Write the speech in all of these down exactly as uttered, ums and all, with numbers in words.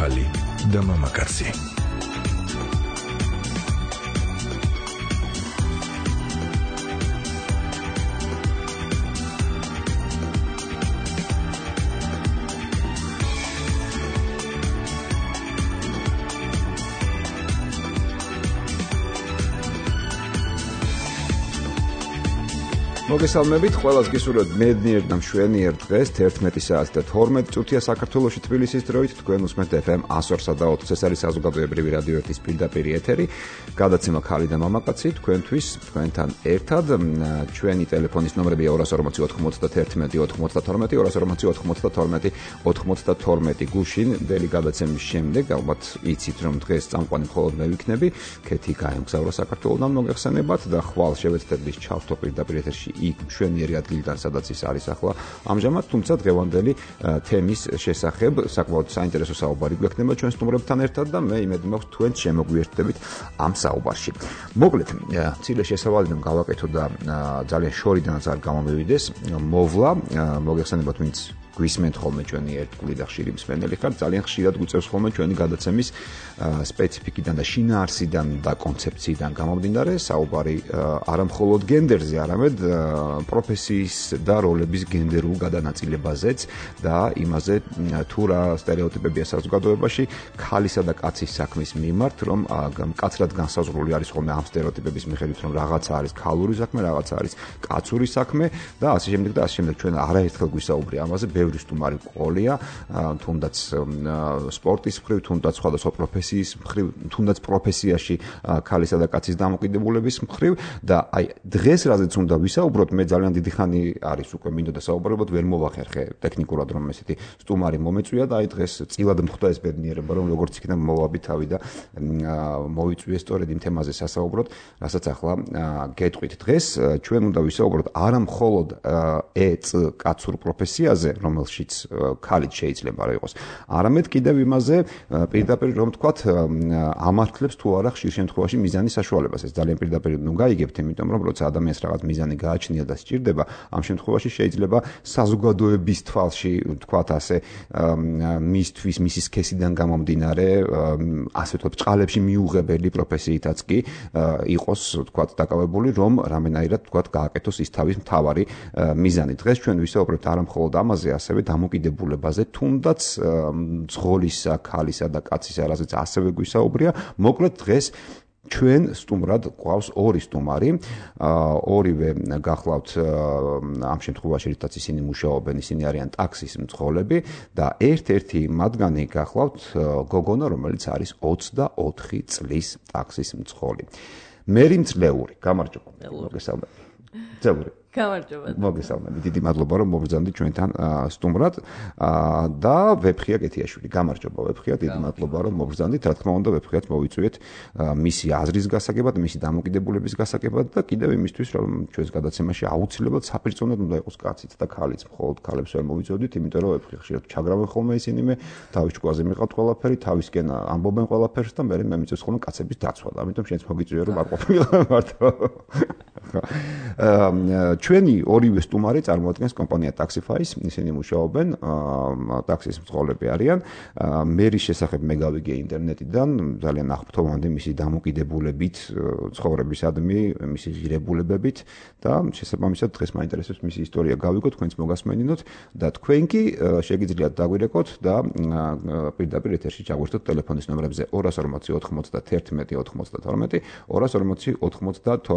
ქალი და მამაკაცი. მოგესალმებით, ყველას გისურვებთ მედნიერ და მშვენიერ დღეს, თერთმეტი საათი და თორმეტი წუთია საქართველოში თბილისის დროით, თქვენ უსმენთ ეფ ემ one oh three point four, ეს არის საზოგადოებრივი რადიო ერთის პირდაპირ ეთერი, გადაცემა ქალი და მამაკაცი, თქვენთვის, თქვენთან ერთად, ჩვენი ტელეფონის ნომრებია two forty ninety-one ninety-two, two forty ninety-two ninety-two გუშინ, დელი გადაცემის შემდეგ, ალბათ იცით რომ დღეს წამყვანი მხოლოდ მე ვიქნები, ქეთი გაემგზავრა საქართველოდან მოგეხსენებათ და ხვალ შევეცდებით ჩავთო პირდაპირ ეთერში იქ მშვენიერი ადგილიდან, სადაც ის არის ახლა ამჟამად, თუმცა დღევანდელი თემის შესახებ საკმაოდ საინტერესო საუბარი გვექნება ჩვენ სტუმრებთან ერთად და მე იმედი მაქვს თქვენც შემოგვიერთდებით ამ საუბარში. მოკლედ, მცირე შესავალიდან გავაკეთო და ძალიან შორიდანაც არ გამომივიდეს, მოვლა, მოგეხსენებათ ვინც გვისმენთ ხოლმე ჩვენი ერთგული და ხშირი მსმენელი ხართ, ძალიან ხშირად გვიწევს ხოლმე ჩვენი გადაცემის სპეციფიკიდან და შინაარსიდან და კონცეფციიდან გამომდინარე, საუბარი არა მხოლოდ გენდერზე, არამედ პროფესიის და როლების გენდერულ გადანაწილებაზეც და იმაზე თუ რა სტერეოტიპებია საზოგადოებაში ქალისა და კაცის საქმის მიმართ, რომ მკაცრად განსაზღვრული არის ხოლმე ამ სტერეოტიპების მიხედვით, რომ რაღაცა არის ქალური საქმე, რაღაცა არის კაცური საქმე და ასე შემდეგ და ასე შემდეგ. ჩვენ არაერთხელ გვისაუბრია ამაზე, ბევრი სტუმარი ყოლია, თუნდაც სპორტის მხრივ, თუნდაც სხვადასხვა პროფესიის მხრივ, თუნდაც პროფესიაში ქალისა და კაცის დამოკიდებულების მხრივ და აი დღეს რაზეც უნდა ვისაუბროთ, მე ძალიან დიდი ხანი არის უკვე მინდოდა საუბრობოთ, ვერ მოვახერხე ტექნიკურად რომ ესეთი სტუმარი მომეწვია და აი დღეს წილად მხვდა ეს ბედნიერება, რომ როგორც იქნება მოვაბი თავი და მოვიწვიე სწორედ იმ თემაზე სასაუბროთ, რასაც ახლა გეტყვით. დღეს ჩვენ უნდა ვისაუბროთ არა მხოლოდ ეც კაცურ პროფესიაზე, რომელშიც ქალიც შეიძლება რა იყოს, არამედ კიდევ იმაზე პირდაპირ რომ თქვათ ამართლებს თუ არა ხშირ შემთხვევაში მიზანის საშუალებას. ეს ძალიან პირდაპირ ნუ გაიგებთ, იმიტომ რომ როცა ადამიანს რაღაც მიზანი გააჩნია და სჭირდება, ამ შემთხვევაში შეიძლება საზოგადოების თვალში თქვათ ასე მისთვის მისი სქესიდან გამომდინარე, ასე ვთქვათ, წყალებში მიუღებელი პროფესიითაც კი იყოს თქვათ დაკავებული, რომ რამენაირად თქვათ გააკეთოს ის თავის მთავარი მიზანი. დღეს ჩვენ ვისაუბრებთ არა მხოლოდ ამაზე, ასევე დამოკიდებულებაზე, თუნდაც ძღოლისა, ქალისა და კაცისა, რაზეც ასევე გვისაუბრია. მოკლედ დღეს ჩვენ სტუმრად გვყავს ორი სტუმარი, ორივე გახლავთ ამ შემთხვევაში რითაც ისინი მუშაობენ, ისინი არიან ტაქსის მძღოლები და ერთ-ერთი მათგანი გახლავთ გოგონა, რომელიც არის ოცდაოთხი წლის ტაქსის მძღოლი. მერი მძლეური, გამარჯობა. მოგესალმებით. მძლეური. გამარჯობა. მოგესალმებით. დიდი მადლობა რომ მოგბრძანდით ჩვენთან სტუმრად და ვეფხია კეთიაშვილი. გამარჯობა ვეფხია, დიდი მადლობა რომ მოგბრძანდით. რა თქმა უნდა, ვეფხიათ მოვიწვიეთ მისი აზრის გასაგებად, მისი დამოკიდებულების გასაგებად და კიდევ იმისთვის, რომ ჩვენს გადაცემაში აუცილებლად საპირწონედ უნდა იყოს კაციც და ქალიც. მხოლოდ ქალებს ვერ მოვიწოდით, იმიტომ რომ ვეფხი ხშირად ჩაგრავენ ხოლმე ისინი მე, თავის ჭკუაზე მიყავთ ყველაფერი, თავისკენ ამბობენ ყველაფერს და მე მე მიწევს ხოლმე კაცების დაცვა. ამიტომ შენც მოგიწვიე რომ არ ყოფილა მარტო. ჩვენი ორივე სტუმარი წარმოადგენს კომპანია Taxify-ს, ისინი მუშაობენ, ტაქსის მძღოლები არიან. მერის შესახებ მე გავიგე ინტერნეტიდან, ძალიან აღფრთოვანდი მისი დამოკიდებულებით, ცხოვრებისადმი, მისი ღირებულებებით და შესაბამისად დღეს მაინტერესებს მისი ისტორია გავიგო, თქვენც მოგასმენინოთ და თქვენ კი შეგიძლიათ დაგვირეკოთ და პირდაპირ ეთერში ჩაგვერთოთ ტელეფონის ნომრებზე two forty ninety-one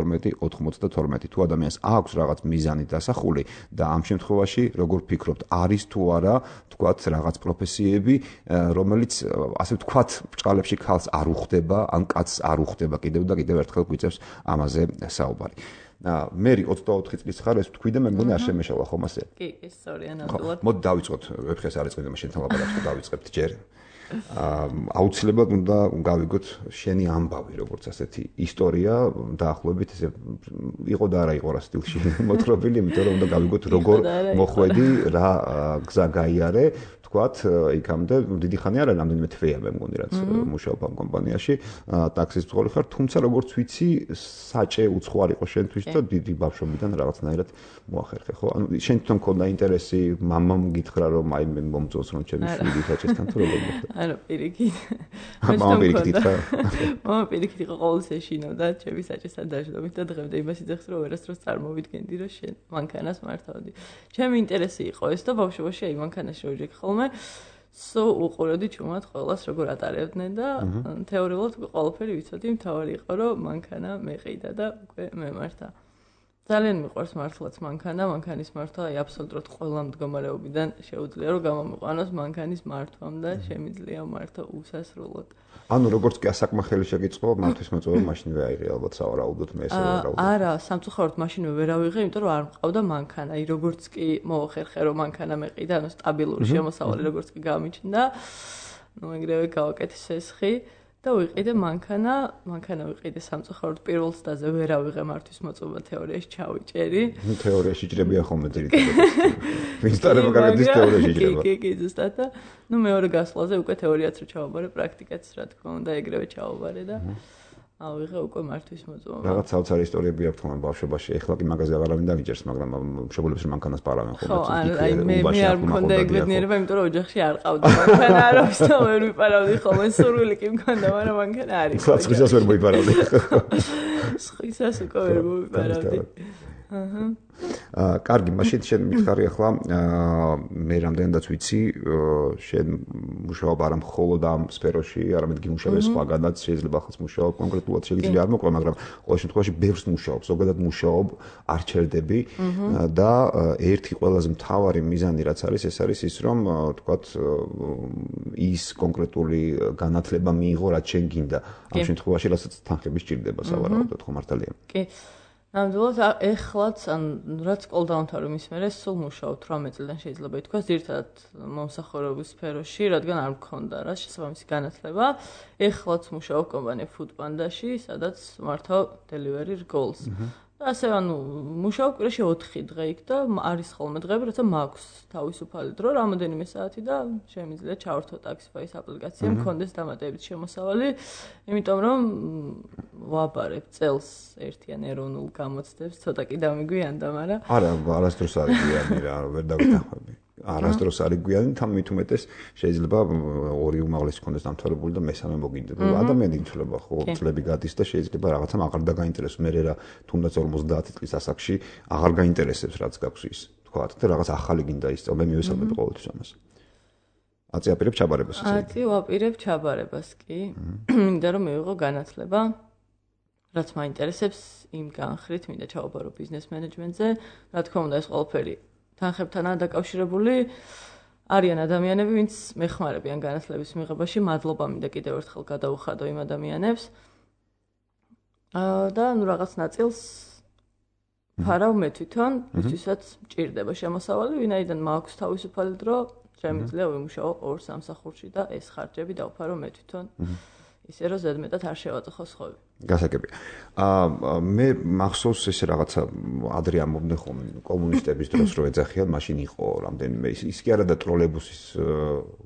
ninety-two, two forty ninety-two თუ ადამიანს აქვს რაღაც მიზანი დასახული და ამ შემთხვევაში როგორ ფიქრობთ, არის თუ არა თქვათ რაღაც პროფესიები, რომელიც ასე ვთქვათ ბრჭყალებში ქალს არ უხდება, ან კაცს არ უხდება კიდევ და კიდევ ერთხელ გვიწევს ამაზე საუბარი. მერი ოცდაოთხი წლის ხარ, ეს თქვი და მე მგონი არ შემეშალა ხომ ასე? კი, კი, სწორია ნამდვილად. მოდი დავიწყოთ, ვეფხეს არ ეწყინე, შენთან ლაპარაკს დავიწყებთ ჯერ. აუცილებლად უნდა გავიგოთ შენი ამბავი, როგორც ასეთი ისტორია დაახლოებით ესე იყო და არა იყო რა სტილში მოთხრობილი, იმიტომ რომ უნდა გავიგოთ როგორ მოხვედი, რა გზა გაიარე, თქვათ, იქამდე დიდი ხანი არა, რამდენიმე თვეა მე მგონი რაც მუშაობ ამ კომპანიაში, ტაქსის მძღოლი ხარ, თუმცა როგორც ვიცი, საჭე უცხო არ იყო შენთვის მისთვის და დიდი ბავშვობიდან რაღაცნაირად მოახერხე, ხო? ანუ შენ თვითონ მქონდა ინტერესი, მამამ გითხრა რომ აი მე მომწონს რომ ჩემი შვილი გაჩესთან თუ როგორ მოხდა? არა, პირიქით. მამა პირიქით ითხრა. მამა პირიქით იყო ყოველს ეშინოდა ჩემი საჭესთან დაждობით და დღემდე იმას იძახს რომ ვერასდროს წარმოვიდგენდი რომ შენ მანქანას მართავდი. ჩემი ინტერესი იყო ეს და ბავშვობაში აი მანქანაში რო ვიჯექ ხოლმე სო უყურებდი ჩუმად ყველას როგორ ატარებდნენ და თეორიულად ყველაფერი ვიცოდი, მთავარი იყო რომ მანქანა მეყიდა და უკვე მემართა. ძალიან მიყვარს მართლაც მანქანა, მანქანის მართვა აი აბსოლუტურად ყველა მდგომარეობიდან შეუძლია რომ გამომიყვანოს მანქანის მართვამ და შემიძლია მართო უსასრულოდ. ანუ როგორც კი ასაკმახელი შეგიწყო, მართვის მოწვევა მაშინვე აიღე ალბათ სავარაუდოდ მე ესე ვარაუდობ. არა, სამწუხაროდ მაშინვე ვერ ავიღე, იმიტომ რომ არ მყავდა მანქანა. აი როგორც კი მოახერხე რომ მანქანა მეყიდა, ანუ სტაბილური შემოსავალი როგორც კი გამიჩნდა, ნუ ეგრევე გავაკეთე სესხი და ვიყიდე მანქანა, მანქანა ვიყიდე სამწუხაროდ პირველ წდაზე ვერ ავიღე მართვის მოწვევა თეორიაში ჩავიჭერი. ნუ თეორიაში ჭრებია ხოლმე ძირითადად. ვინც დაერება გაგედის თეორიაში ჭრება. კი, კი, ზუსტად და ნუ მეორე გასვლაზე უკვე თეორიაც რო ჩავაბარე, პრაქტიკაც რა თქმა უნდა ეგრევე ჩავაბარე და ავიღე უკვე მართვის მოწვევა. რაღაც საოცარი ისტორიები აქვს თქო ბავშვობაში. ეხლა კი მაგაზე აღარავინ დავიჯერს, მაგრამ მშობლებს რომ მანქანას პარავენ ხოლმე. ხო, აი მე მე არ მქონდა ეგ ბედნიერება, იმიტომ რომ ოჯახში არ ყავდა მანქანა, არავის და ვერ ვიპარავდი ხოლმე. სურვილი კი მქონდა, მაგრამ მანქანა არ იყო. სხვისას ვერ მოიპარავდი. სხვისას უკვე ვერ მოვიპარავდი. აჰა. აა, კარგი, მაშინ შენ მითხარი ახლა მე რამდენადაც ვიცი, შენ მუშაობ არა მხოლოდ ამ სფეროში, არამედ გიმუშავე სხვაგანაც, შეიძლება ახლა მუშაობ კონკრეტულად შეიძლება არ მოყვება, მაგრამ ყოველ შემთხვევაში ბევრს მუშაობ, ზოგადად მუშაობ, არ ჩერდები და ერთი ყველაზე მთავარი მიზანი რაც არის, ეს არის ის, რომ თქვათ ის კონკრეტული განათლება მიიღო, რაც შენ გინდა. ამ შემთხვევაში რასაც თანხები სჭირდება სავარაუდოდ, ხო მართალია? კი. ნამდვილად ეხლაც ან რაც სკოლა დაამთავრე მის მერე სულ მუშაობ თვრამეტ წლიდან შეიძლება ითქვას ძირითადად მომსახურების სფეროში, რადგან არ მქონდა რა შესაბამისი განათლება. ეხლაც მუშაობ კომპანია Foodpanda-ში, სადაც მართავ delivery goals. და ასე ანუ მუშაობ კვირაში ოთხი დღე იქ და არის ხოლმე დღეები, როცა მაქვს თავისუფალი დრო, რამოდენიმე საათი და შემიძლია ჩავართო Taxify-ის აპლიკაცია, მქონდეს დამატებით შემოსავალი, იმიტომ რომ ვაბარებ წელს ერთიან ეროვნულ გამოცდებს, ცოტა კი დამიგვიანდა, მაგრამ არა, არასდროს არ გვიანი რა, ვერ დავიტანხმები. არასდროს არ გვიანი, თან მით უმეტეს შეიძლება ორი უმაღლესი ქონდეს დამთავრებული და მესამე მოგინდება. ადამიანი იცვლება ხო, წლები გადის და შეიძლება რაღაცამ აღარ დაგაინტერესოს, მე რა თუნდაც ორმოცდაათი წლის ასაკში აღარ გაინტერესებს რაც გაქვს ის. თქვა და რაღაც ახალი გინდა ისწავლ, მე მივესალმებ ყოველთვის ამას. აწი აპირებ ჩაბარებას ესე. აწი ვაპირებ ჩაბარებას კი. მინდა რომ მივიღო განათლება, რაც მაინტერესებს იმ განხრით, მინდა ჩავაბარო ბიზნეს მენეჯმენტზე, რა თქმა უნდა ეს ყველაფერი თანხებთანაა დაკავშირებული. არიან ადამიანები, ვინც მეხმარებიან განათლების მიღებაში, მადლობა მინდა კიდევ ერთხელ გადაუხადო იმ ადამიანებს. აა და ნუ რაღაც ნაწილს ფარავ მე თვითონ, ვისაც მჭირდება შემოსავალი, ვინაიდან მაქვს თავისუფალი დრო, შემიძლია ვიმუშაო ორ სამსახურში და ეს ხარჯები დავფარო მე თვითონ. ისე რომ ზედმეტად არ შევაწუხო სხვები. გასაგებია. აა მე მახსოვს ეს რაღაცა ადრე ამბობდნენ ხოლმე კომუნისტების დროს რო ეძახიან, მაშინ იყო რამდენიმე ის ის კი არა და ტროლეიბუსის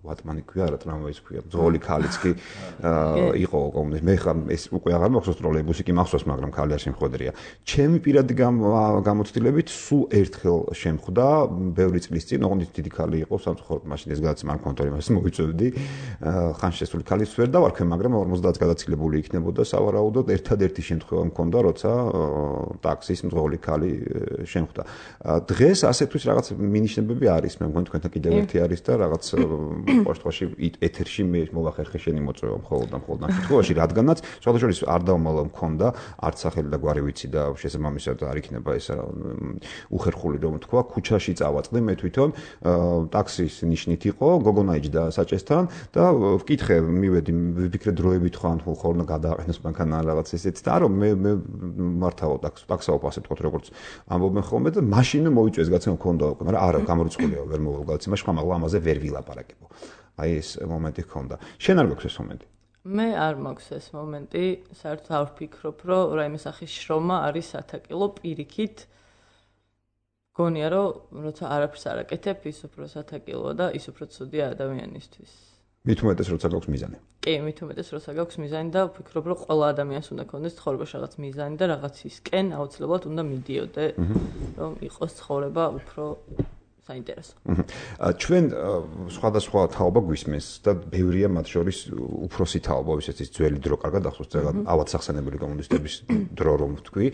ვატმანი ქვია, არა ტრამვაის ქვია, ძღოლი ქალიც კი იყო კომუნისტი. მე ხა ეს უკვე აღარ მახსოვს ტროლეიბუსი კი მახსოვს, მაგრამ ქალი არ შემხვედრია. ჩემი პირადი გამოცდილებით სულ ერთხელ შემხვდა, ბევრი წლის წინ, ოღონდ დიდი ქალი იყო, სამწუხაროდ მაშინ ეს გადაცემა არ მქონდა, იმას მოიწევდი. ხან შესული ქალის ვერ დავარქვე, მაგრამ ორმოცდაათს გადაცილებული იქნებოდა სავარაუდოდ ერთადერთი შემთხვევა მქონდა, როცა ტაქსის მძღოლი ქალი შემხვდა. დღეს ასეთთვის რაღაც მინიშნებები არის, მე მგონი თქვენთან კიდევ ერთი არის და რაღაც ყოველთვის ეთერში მე მოვახერხე შენი მოწვევა მხოლოდ და მხოლოდ ამ შემთხვევაში, რადგანაც სხვადასხვა არ დავმალო მქონდა, არც სახელი და გვარი ვიცი და შესაბამისად არ იქნება ეს უხერხული რომ თქვა, ქუჩაში წავაწყდი მე თვითონ, ტაქსის ნიშნით იყო, გოგონაიჯდა საჭესთან და ვკითხე, მივედი, ვიფიქრე დროებით ხო ან ხოლმე გადააყენოს მანქანა რაღაც ესეც და რომ მე მე მართავ ტაქსაობ ასე თქვა როგორც ამბობენ ხოლმე და მაშინ მოიწვიეს გაცემა მქონდა უკვე, მაგრამ არა გამორიცხულია ვერ მოვალ გაცემა, მაგრამ ამაზე ვერ ვილაპარაკებო. აი ეს მომენტი ჰქონდა. შენ არ გაქვს ეს მომენტი? მე არ მაქვს ეს მომენტი, საერთოდ არ ვფიქრობ, რომ რაიმე სახის შრომა არის სათაკილო პირიქით. გონია რომ როცა არაფერს არ აკეთებ, ის უფრო სათაკილოა და ის უფრო ცუდია ადამიანისთვის. მით უმეტეს როცა გაქვს მიზანი. კი, მით უმეტეს როცა გაქვს მიზანი და ვფიქრობ, რომ ყველა ადამიანს უნდა ქონდეს ცხოვრებაში რაღაც მიზანი და რაღაცისკენ აუცილებლად უნდა მიდიოდე, რომ იყოს ცხოვრება უფრო საინტერესო. ჩვენ სხვადასხვა თაობა გვისმენს და ბევრია მათ შორის უფროსი თაობა, ვისაც ძველი დრო კარგად ახსოვს, ზოგადად ავად სახსენებელი კომუნისტების დრო რომ ვთქვი.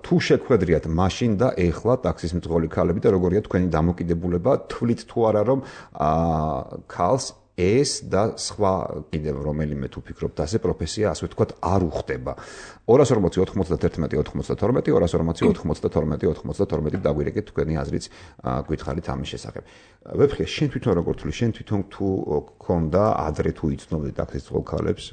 თუ შეგვხედრიათ მაშინ და ეხლა ტაქსის მძღოლი ქალები და როგორია თქვენი დამოკიდებულება, თვლით თუ არა რომ ქალს ეს და სხვა კიდევ რომელიმე თუ ფიქრობთ ასე პროფესია ასე ვთქვათ არ უხდება. ორას ორმოცი ოთხმოცდაერთი ოთხმოცდათორმეტი ორას ორმოცი ოთხმოცდათორმეტი ოთხმოცდათორმეტი დაგვირეკეთ თქვენი აზრიც გითხარით ამის შესახებ. ვეფხია შენ თვითონ როგორ თვლი, შენ თვითონ თუ გქონდა ადრე თუ იცნობდი ტაქსის მძღოლ ქალებს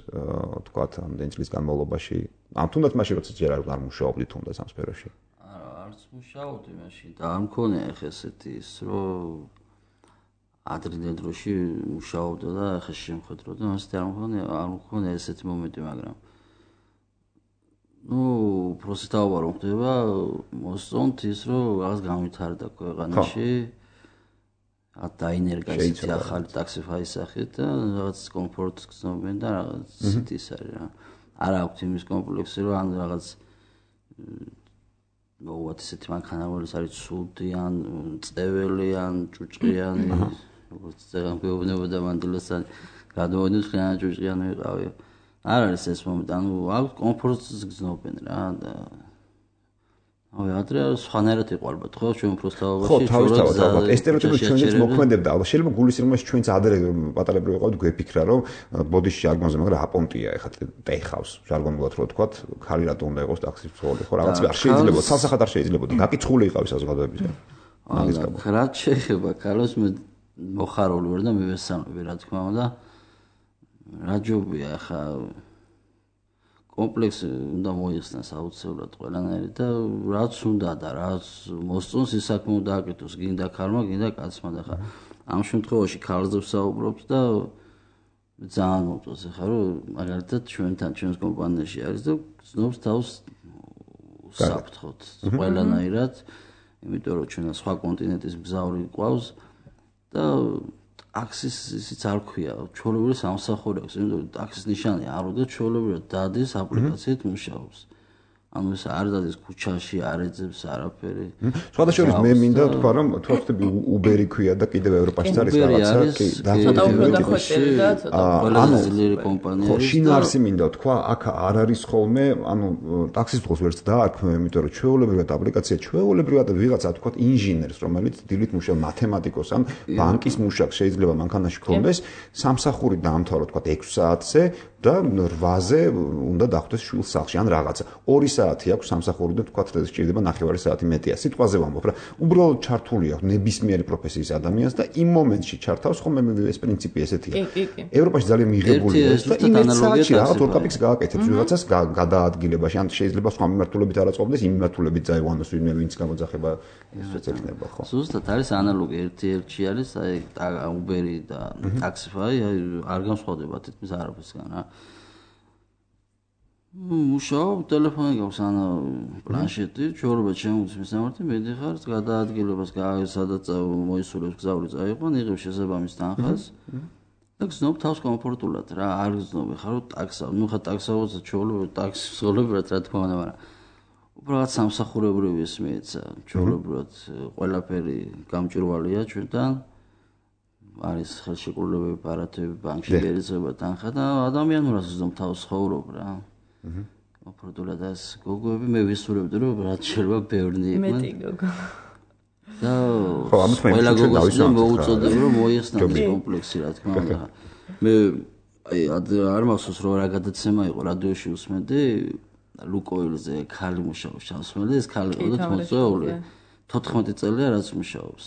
ვთქვათ ამდენი წლის განმავლობაში ამ თუნდაც მაშინ როცა ჯერ არ მუშაობდი თუნდაც ამ სფეროში. არა, არც მუშაობდი მაშინ და არ მქონია ხე ესეთი ის რომ ადრინდელ დროში მუშაობდა და ახლა შემხედროდა, მასე არ მქონია, არ მქონია ესეთი მომენტი, მაგრამ ნუ პროცესტაობა რომ ხდება, მოსწონთ ის რომ რაღაც გამვითარდა ქვეყანაში. რაღაც დაინერგა ისეთი ახალი ტაქსიფაის სახით და რაღაც კომფორტს გრძნობენ და რაღაც ისეთი ის არის რა. არ აქვს იმის კომპლექსი რომ ან რაღაც მოუვათ ისეთი მანქანა რომელიც არის ცუდი ან წეველი ან ჭუჭყიანი როგორც ზეგან გვეუბნება მანდილოსთან გადმოვიდეთ ხან ჭუჭყიანი ვიყავი. არ არის ეს მომენტი, ანუ აქვს კომფორტს გრძნობენ რა და აი ადრე სხვანაირად იყო ალბათ ხო ჩვენ პროსტავობაში ხო თავისთავად ალბათ ეს სტერეოტიპი ჩვენც მოქმედებდა ალბათ შეიძლება გულისხმობს ჩვენც ადრე პატარებრი ვიყავთ გვეფიქრა რომ ბოდიში ჟარგონზე მაგრამ აპონტია ეხლა ტეხავს ჟარგონულად რო ვთქვათ ხალი რატო უნდა იყოს ტაქსის მძღოლი ხო რაღაც არ შეიძლება ცალსახად არ შეიძლება გაკიცხული იყავის საზოგადოებაზე მაგის გამო რა შეიძლება ქალოს მე მოხარული ვარ და მივესალმები რა თქმა უნდა რა ჯობია ახლა კომპლექსი უნდა მოიხსნას აუცილებლად ყველანაირი და რაც უნდა და რაც მოსწონს ის საქმე უნდა აკეთოს გინდა ქალმა გინდა კაცმა და ხა ამ შემთხვევაში ქალზე ვსაუბრობთ და ძალიან მომწონს ხა რომ მაგალითად ჩვენთან ჩვენს კომპანიაში არის და გზნობს თავს საფრთხოთ ყველანაირად იმიტომ რომ ჩვენ სხვა კონტინენტის მგზავრი ყავს და ტაქსის ისიც არ ქვია, ჩვეულებრივ სამსახურებს, იმიტომ რომ ტაქსის ნიშანი არ უნდა ჩვეულებრივ დადის აპლიკაციით მუშაობს. ანუ ეს არ დადის ქუჩაში, არ ეძებს არაფერი. სხვადასხვა მე მინდა თქვა რომ თუ ხდები უბერი ქვია და კიდევ ევროპაშიც არის რაღაცა, კი, ცოტა უფრო დახვეწილი და ცოტა ყველაზე ძლიერი კომპანია არის. ხო, შინაარსი მინდა თქვა, აქ არ არის ხოლმე, ანუ ტაქსის მძღოლს ვერც დაარქმევ, იმიტომ რომ ჩვეულებრივად აპლიკაცია ჩვეულებრივად ვიღაცა თქვა ინჟინერს, რომელიც დილით მუშაობს მათემატიკოს ან ბანკის მუშაკს შეიძლება მანქანაში ქონდეს, სამსახური დაამთავრა თქვა ექვს საათზე და რვაზე უნდა დახვდეს შვილს სახლში ან რაღაცა. ორი საათი აქვს სამსახური და თქვა რომ სჭირდება ნახევარი საათი მეტია. სიტყვაზე ვამბობ რა. უბრალოდ ჩართული აქვს ნებისმიერი პროფესიის ადამიანს და იმ მომენტში ჩართავს ხოლმე ეს პრინციპი ესეთია. კი, კი, კი. ევროპაში ძალიან მიღებულია ეს და იმ საათში რაღაც ორ კაპიკს გააკეთებს ვიღაცას გადაადგილებაში ან შეიძლება სხვა მიმართულებით არ აწყობდეს იმ მიმართულებით წაიყვანოს ვინმე ვინც გამოძახება ეს ეცნება ხო. ზუსტად არის ანალოგი ერთი ერთში არის აი უბერი და ტაქსიფაი აი არ განსხვავდება თითქმის არაფერსგან რა. მუშაობ ტელეფონი გაქვს ან პლანშეტი, ჩვეულებრივ შემოგვიწმის ნამართი, მედიხარ გადაადგილებას სადაც მოისურვებს გზავრი წაიყვან, იღებს შესაბამის თანხას და გზნობ თავს კომფორტულად რა, არ გზნობ ხარ რომ ტაქსა, ნუ ხა ტაქსაოც ჩვეულებრივ ტაქსის მსხვილებად რა თქმა უნდა, მაგრამ უბრალოდ სამსახურებრივი ეს მეცა, ჩვეულებრივად ყველაფერი გამჭვირვალეა ჩვენთან. არის ხელშეკრულებები, პარათები, ბანკში გერიცხება თანხა და ადამიანურად გზნობ თავს ცხოვრობ რა. ოპორტულად ეს გოგოები მე ვისურვებდი რომ რაც შეიძლება ბევრნი იყვნენ. მეტი გოგო. და ხო, ამას მე ყველა გოგოს მოუწოდებ რომ მოიხსნას კომპლექსი რა თქმა უნდა. მე აი არ მახსოვს რომ რა გადაცემა იყო რადიოში უსმენდი ლუკოილზე ქალი მუშაობს ჩამსმენდი ეს ქალი იყო და მოწვეული თოთხმეტი წელია რაც მუშაობს.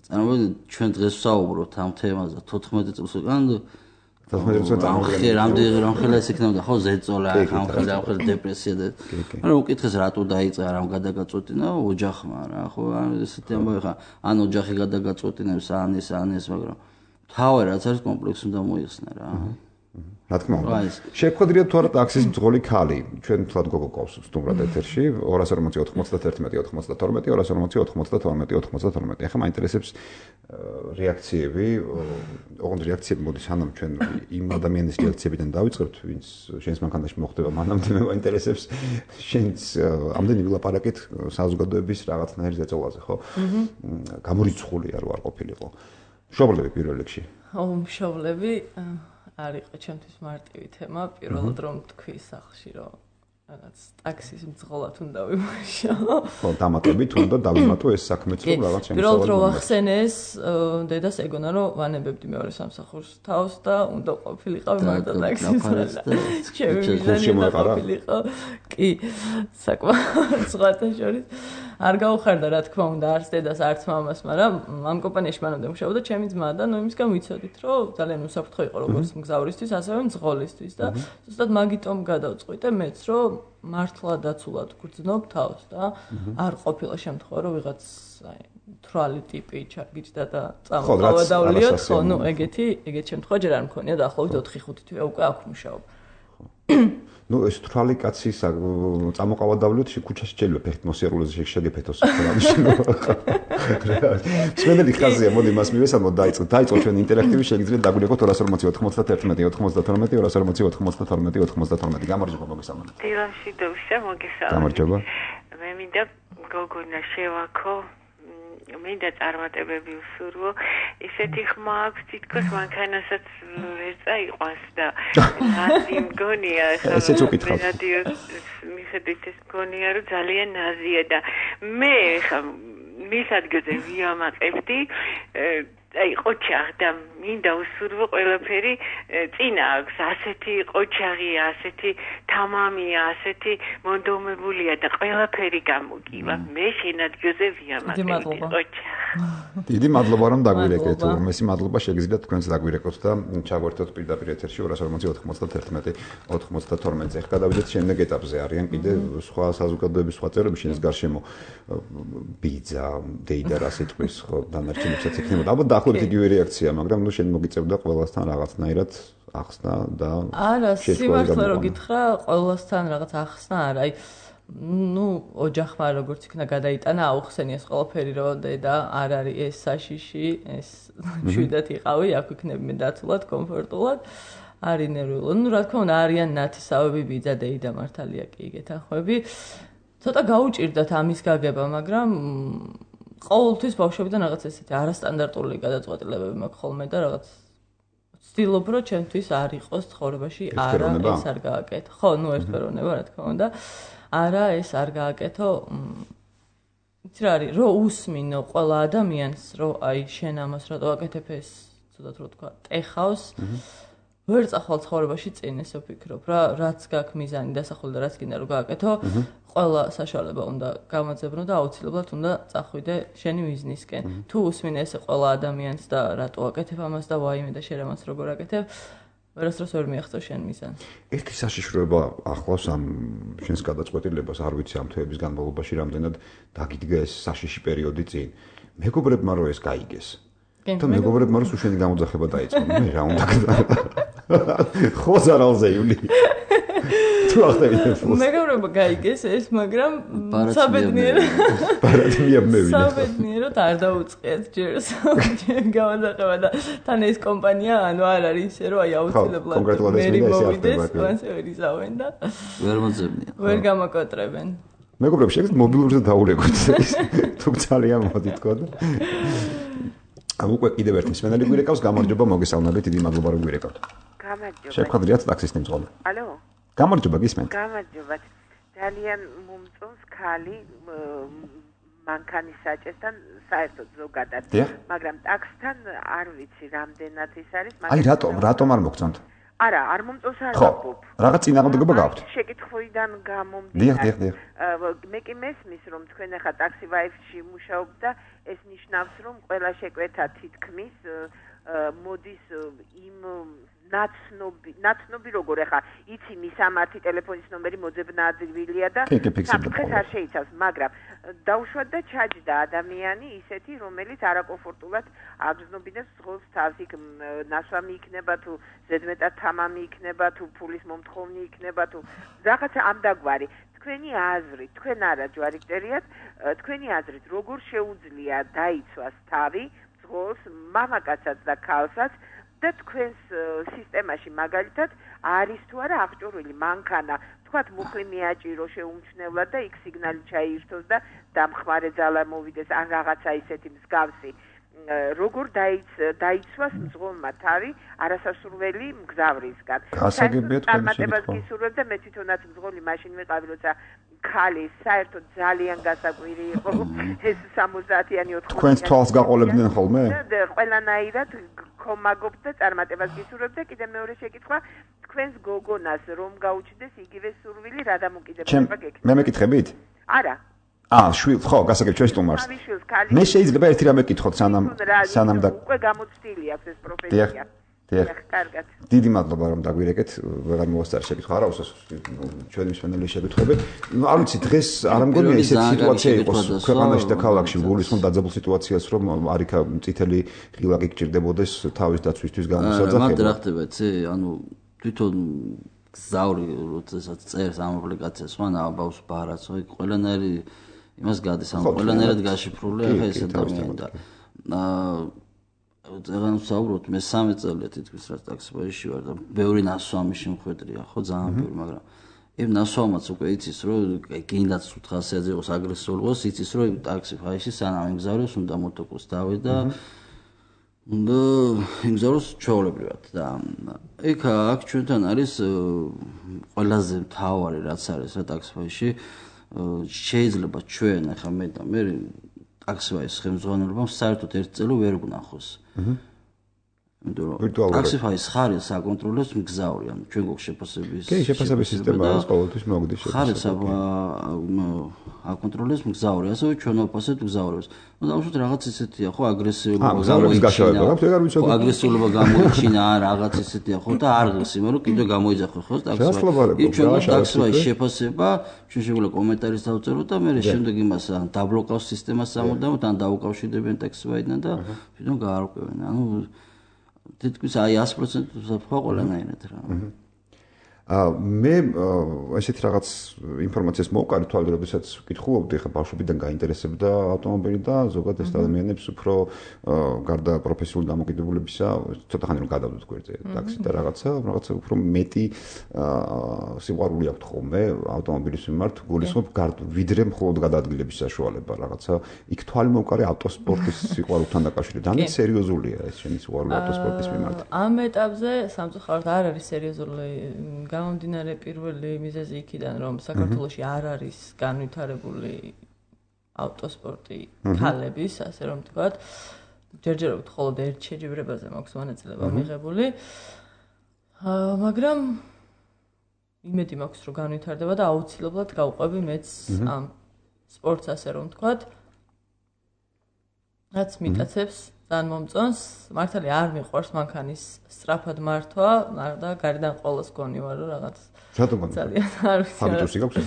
წარმოვიდგინეთ ჩვენ დღეს ვსაუბრობთ ამ თემაზე თოთხმეტი წელს უკან თოთხმეტი წელს ამხე რამდენი რამხელა ეს იქნებოდა ხო ზეწოლა ამხელა ამხელა დეპრესია და მაგრამ უკითხეს რატო დაიწყა რამ გადაგაწყვეტინა ოჯახმა რა ხო ესეთი ამბავი ხა ან ოჯახი გადაგაწყვეტინებს ან ეს ან ეს მაგრამ თავი რაც არის კომპლექსი უნდა მოიხსნა რა რა თქმა უნდა. შეგხვედრიათ თუ არა ტაქსის მძღოლი ქალი. ჩვენ თლად გოგო ყავს სტუმრად ეთერში ორას ორმოცი ოთხმოცდათერთმეტი ოთხმოცდათორმეტი ორას ორმოცი ოთხმოცდათორმეტი ოთხმოცდათორმეტი. ახლა მაინტერესებს რეაქციები, ოღონდ რეაქციები მოდის სანამ ჩვენ იმ ადამიანის რეაქციებიდან დავიწყებთ, ვინც შენს მანქანაში მოხდება, მანამდე მე მაინტერესებს შენს ამდენი ვილაპარაკით საზოგადოების რაღაცნაირ ზეწოლაზე, ხო? გამორიცხულია რო არ ყოფილიყო. მშობლები პირველ რიგში. ო, მშობლები არ იყო ჩემთვის მარტივი თემა, პირველად რომ თქვი სახლში, რომ რაღაც ტაქსის მძღოლად უნდა ვიმუშაო. ხო, დამატებით უნდა დავიმატო ეს საქმეც რომ რაღაც შემოსავალი. პირველად რომ ახსენეს, დედას ეგონა რომ ვანებებდი მეორე სამსახურს თავს და უნდა ყოფილიყავი მარტო ტაქსის. ჩემი მიზანი ყოფილიყო. კი, საკმაოდ სხვათა შორის არ გაუხარდა რა თქმა უნდა არც დედას არც მამას, მაგრამ ამ კომპანიაში მანამდე მუშაობდა ჩემი ძმა და ნუ იმისგან ვიცოდით რომ ძალიან უსაფრთხო იყო როგორც მგზავრისთვის, ასევე მძღოლისთვის და ზუსტად მაგიტომ გადავწყვიტე მეც რომ მართლა დაცულად გრძნობ თავს და არ ყოფილა შემთხვევა რომ ვიღაც აი თრალი ტიპი ჩარგიჯდა და წამოყავა დავლიოთ, ხო, ნუ ეგეთი ეგეთი შემთხვევა ჯერ არ მქონია დაახლოებით ოთხი ხუთი თვე უკვე აქ მუშაობ. ნუ ეს თრალი კაცი წამოყავა დავლიოთ ქუჩაში შეიძლება ფეხით მოსიარულეზე შეგეფეთოს რამში. სვენელი ხაზია, მოდი მას მივესალმოთ, დაიწყოთ. დაიწყოთ ჩვენ ინტერაქტივი, შეგიძლიათ დაგვირეკოთ ორას ორმოცი ოთხმოცდათერთმეტი ოთხმოცდათორმეტი ორას ორმოცი ოთხმოცდათორმეტი ოთხმოცდათორმეტი. გამარჯობა, მოგესალმებით. დილაში დევსა, მოგესალმებით. გამარჯობა. მე მინდა გოგონა შევაქო, მინდა წარმატებები უსურვო. ისეთი ხმა აქვს, თითქოს მანქანასაც ვერ წაიყვანს და ნაზი მგონია, ესეც უკითხავ. მიხედვით ეს მგონია, რომ ძალიან ნაზია და მე ხა მის ადგილზე ვიამაყებდი აი ყოჩაღ და მინდა უსურვო ყველაფერი წინა აქვს ასეთი ყოჩაღი, ასეთი თამამია, ასეთი მონდომებულია და ყველაფერი გამოგივა. მე შენ ადგილზე ვიამაყებდი ყოჩაღ. დიდი მადლობა რომ დაგვირეკეთ. მესი მადლობა შეგიძლიათ თქვენს დაგვირეკოთ და ჩაგვერთოთ პირდაპირ ეთერში ორას ორმოცი ოთხმოცდათერთმეტი ოთხმოცდათორმეტი. ეხლა გადავიდეთ შემდეგ ეტაპზე. არიან კიდე სხვა საზოგადოების სხვა წევრები შენს გარშემო ბიძა, დეიდა რა სიტყვის ხო დანარჩენებსაც იქნებოდა. ალბათ დაახლოებით იგივე რეაქცია, მაგრამ ნუ შენ მოგიწევდა ყველასთან რაღაცნაირად ახსნა და არა, სიმართლე რო გითხრა, ყველასთან რაღაც ახსნა არა. აი ნუ ოჯახმა როგორც იქნა გადაიტანა, აუხსენიეს ყველაფერი რომ დედა არ არის ეს საშიში, ეს შვიდად იყავი, აქ ვიქნები მე დაცულად, კომფორტულად. არის ნერვიულო. ნუ რა თქმა უნდა არიან ნათესავები, ბიძა, დეიდა მართალია კი იგეთახვები. ცოტა გაუჭირდათ ამის გაგება, მაგრამ ყოველთვის ბავშვებიდან რაღაც ესეთი არასტანდარტული გადაწყვეტილებები მაქვს ხოლმე და რაღაც ვცდილობ რომ ჩემთვის არ იყოს ცხოვრებაში არა ეს არ გააკეთო. ხო, ნუ ერთფეროვნება რა თქმა უნდა. არა ეს არ გააკეთო. იცი რა არის, რომ უსმინო ყველა ადამიანს, რომ აი შენ ამას რატო აკეთებ ეს, ცუდად რო თქვა, ტეხავს. ვერ წახვალ ცხოვრებაში წინ ესე ვფიქრობ რა, რაც გაქვს მიზანი დასახული და რაც გინდა რომ გააკეთო, ყველა საშუალება უნდა გამაძებნო და აუცილებლად უნდა წახვიდე შენი მიზნისკენ. თუ უსმინე ესე ყველა ადამიანს და რატო აკეთებ ამას და ვაიმე და შენ ამას როგორ აკეთებ, ვერასდროს ვერ მიაღწევ შენ მიზანს. ერთი საშიშროება ახლავს ამ შენს გადაწყვეტილებას, არ ვიცი ამ თვეების განმავლობაში რამდენად დაგიდგა ეს საშიში პერიოდი წინ. მეგობრებმა რომ ეს გაიგეს. და მეგობრებმა რომ შენი გამოძახება დაიწყო. მე რა უნდა ხო ზარალზე ივლი. თუ ახდები ფულს. მეგობრებმა გაიგეს ეს, მაგრამ საბედნიერო. პარადმია მე ვინე. საბედნიეროდ არ დაუწყიათ ჯერ გამოძახება და თან ეს კომპანია ანუ არ არის ისე რომ აი აუცილებლად მერი მოვიდეს, მანს ვერ იზავენ და ვერ მოძებნიან. ვერ გამაკოტრებენ. მეგობრებს შეგიძლიათ მობილურზე დაურეკოთ ეს. თუ ძალიან მოდი თქო და ამ უკვე კიდევ ერთი მსმენელი გვირეკავს, გამარჯობა, მოგესალმებით, დიდი მადლობა რომ გვირეკავთ. გამარჯობა. შეგხვედრიათ ტაქსისტი მძღოლი. ალო. გამარჯობა, გისმენთ. გამარჯობა. ძალიან მომწონს ხალი მანქანის საჭესთან საერთოდ ზოგადად, მაგრამ ტაქსთან არ ვიცი რამდენად ის არის, მაგრამ აი რატომ, რატომ არ მოგწონთ? არა, არ მომწონს არ ვაფობ. რაღაც წინააღმდეგობა გაქვთ? შეკითხვიდან გამომდინარე. დიახ, დიახ, დიახ. მე კი მესმის რომ თქვენ ახლა ტაქსი ვაიფში მუშაობთ და ეს ნიშნავს რომ ყველა შეკვეთა თითქმის მოდის იმ ნაცნობი, ნაცნობი როგორ ახლა იცი მისამართი ტელეფონის ნომერი მოძებნა ადვილია და საფრთხეს არ შეიცავს, მაგრამ დაუშვათ და ჩაჯდა ადამიანი ისეთი, რომელიც არაკომფორტულად აგრძნობინებს ზღოლს თავს, იქ ნასვამი იქნება თუ ზედმეტად თამამი იქნება თუ ფულის მომთხოვნი იქნება თუ რაღაცა ამდაგვარი. თქვენი აზრით, თქვენ არა ჯვარიჭერიათ, თქვენი აზრით როგორ შეუძლია დაიცვას თავი ზღოლს მამაკაცსაც და ქალსაც და თქვენს სისტემაში მაგალითად არის თუ არა აღჭურვილი მანქანა თქვათ მუხლი მიაჭირო შეუმჩნევლად და იქ სიგნალი ჩაირთოს და დამხმარე ძალა მოვიდეს ან რაღაცა ისეთი მსგავსი როგორ დაიცვას მძღოლმა თავი არასასურველი მგზავრისგან. გასაგებია თქვენი წარმატებას გისურვებ და მე თვითონაც მძღოლი მაშინ ვიყავი, როცა ქალი საერთოდ ძალიან გასაკვირი იყო ეს სამოცდაათიანი ოთხმოცდაათიანი. თქვენს თვალს გაყოლებდნენ ხოლმე? და ყველანაირად გქომაგობთ და წარმატებას გისურვებ და კიდე მეორე შეკითხვა თქვენს გოგონას რომ გაუჩნდეს იგივე სურვილი რა დამოკიდებულება გექნება? მე მეკითხებით? არა. აა, შვილ, ხო, გასაგებ ჩვენ სტუმარს. მე შეიძლება ერთი რამე კითხოთ სანამ სანამ და უკვე გამოცდილი აქვს ეს პროფესია. დიახ. კარგად. დიდი მადლობა რომ დაგვირეკეთ, ვეღარ მოვასწარ შეკითხვა, არა უსას ჩვენი მსმენელი შეკითხები. ნუ არ ვიცი დღეს არ მგონია ესეთი სიტუაცია იყოს ქვეყანაში და ქალაქში გულისხმობ დაძაბულ სიტუაციას რომ არიქა წითელი ღილაკი გჭირდებოდეს თავის დაცვისთვის გამოსაძახება. მაგრამ რა ხდება, იცი, ანუ თვითონ გზავრი როდესაც წერს ამ აპლიკაციას, ხო, ნაბავს ბარას, ხო, ყველანაირი იმას გადის, ანუ ყველანაირად გაშიფრულია ახლა ეს ადამიანი და აა ზეგან ვსაუბრობთ, მე სამი წელია თითქოს რაც ტაქსიბაში ვარ და ბევრი ნასვამი შემხვედრია, ხო, ძალიან ბევრი, მაგრამ იმ ნასვამაც უკვე იცის, რომ გინდაც ხუთასიათზე იყოს აგრესიული იყოს, იცის, რომ ტაქსიფაში სანამ იმგზავროს, უნდა მოტოკლს დავე და უნდა იმგზავროს ჩვეულებრივად და იქ აქ ჩვენთან არის ყველაზე მთავარი რაც არის რა ტაქსიფაში შეიძლება ჩვენ ახლა მე და მე ტაქსიფაის ხელმძღვანელობამ საერთოდ ერთ წელი ვერ ვნახოს. ტაქსიფაის ხარეს აკონტროლებს მგზავრი, ანუ ჩვენ გვაქვს შეფასების კი, შეფასების სისტემა არის ყოველთვის მოგდის ხარეს აკონტროლებს მგზავრი, ასევე ჩვენ ვაფასებთ მგზავრებს. ნუ დავუშვათ რაღაც ისეთია, ხო, აგრესიულობა გამოიჩინა. ხო, აგრესიულობა გამოიჩინა, რაღაც ისეთია, ხო, და არ ღირს იმერო კიდე გამოიძახო, ხო, ტაქსიფაი. ჩვენ ტაქსიფაის შეფასება, ჩვენ შეგვიძლია კომენტარის დავწეროთ და მე შემდეგ იმას ან დაბლოკავს სისტემას სამუდამოდ, ან დაუკავშირდებიან ტაქსიფაიდან და თვითონ გაარკვევენ. ანუ თითქოს აი ათი პროცენტი ვსაფრთხო ყველანაირად რა. აა მე ესეთ რაღაც ინფორმაციას მოვყარი თვალით, როდესაც ვკითხულობდი, ხა ბავშვობიდან გაინტერესებდა ავტომობილი და ზოგადად ეს ადამიანებს უფრო გარდა პროფესიული დამოკიდებულებისა, ცოტა ხანი რომ გადავდოთ გვერდზე ტაქსი და რაღაცა, რაღაცა უფრო მეტი სიყვარული აქვს ხოლმე ავტომობილის მიმართ, გულისხმობ ვიდრე მხოლოდ გადაადგილების საშუალება რაღაცა. იქ თვალი მოვყარი ავტოსპორტის სიყვარულთან დაკავშირებით. ძალიან სერიოზულია ეს შენი სიყვარული ავტოსპორტის მიმართ. ამ ეტაპზე სამწუხაროდ არ არის სერიოზული გამომდინარე პირველი მიზეზი იქიდან, რომ საქართველოში არ არის განვითარებული ავტოსპორტი ქალების, ასე რომ ვთქვათ, ჯერჯერობით მხოლოდ ერთ შეჯიბრებაზე მაქვს მონაწილეობა მიღებული. მაგრამ იმედი მაქვს, რომ განვითარდება და აუცილებლად გავყვები მეც ამ სპორტს, ასე რომ ვთქვათ. რაც მიტაცებს ძალიან მომწონს, მართალია არ მიყვარს მანქანის სწრაფად მართვა, და გარედან ყოველს გონი ვარ რომ რაღაც ძალიან არ ვიცი. ჰაბიტუსი გაქვს?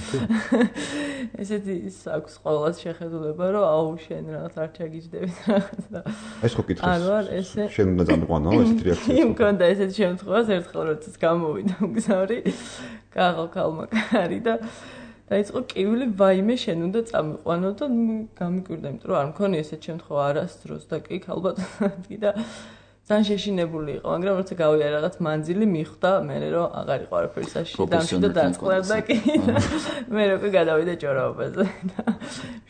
ესეთი აქვს ყოველს შეხედულება, რომ აუ შენ რაღაც არ ჩაგიჯდებით რაღაც და ეს ხო კითხვის. არ ვარ ესე. შენ უნდა დამყვანო ესეთი რეაქცია. იმ კონდა ესეთი შემთხვევას ერთხელ როდესაც გამოვიდა მგზავრი, კაღო კალმაკარი და დაიწყო კივილი, ვაიმე შენ უნდა წამიყვანო და გამიკვირდა, იმიტომ რომ არ მქონია ესეთ შემთხვევა არასდროს და კი ალბათ და ძალიან შეშინებული იყო, მაგრამ როცა გავიარე რაღაც მანძილი მიხვდა მე რომ აღარ იყო არაფერი საშიში დამშვიდა და დაწყლარდა კი მე რო კი გადავიდა ჭორაობაზე და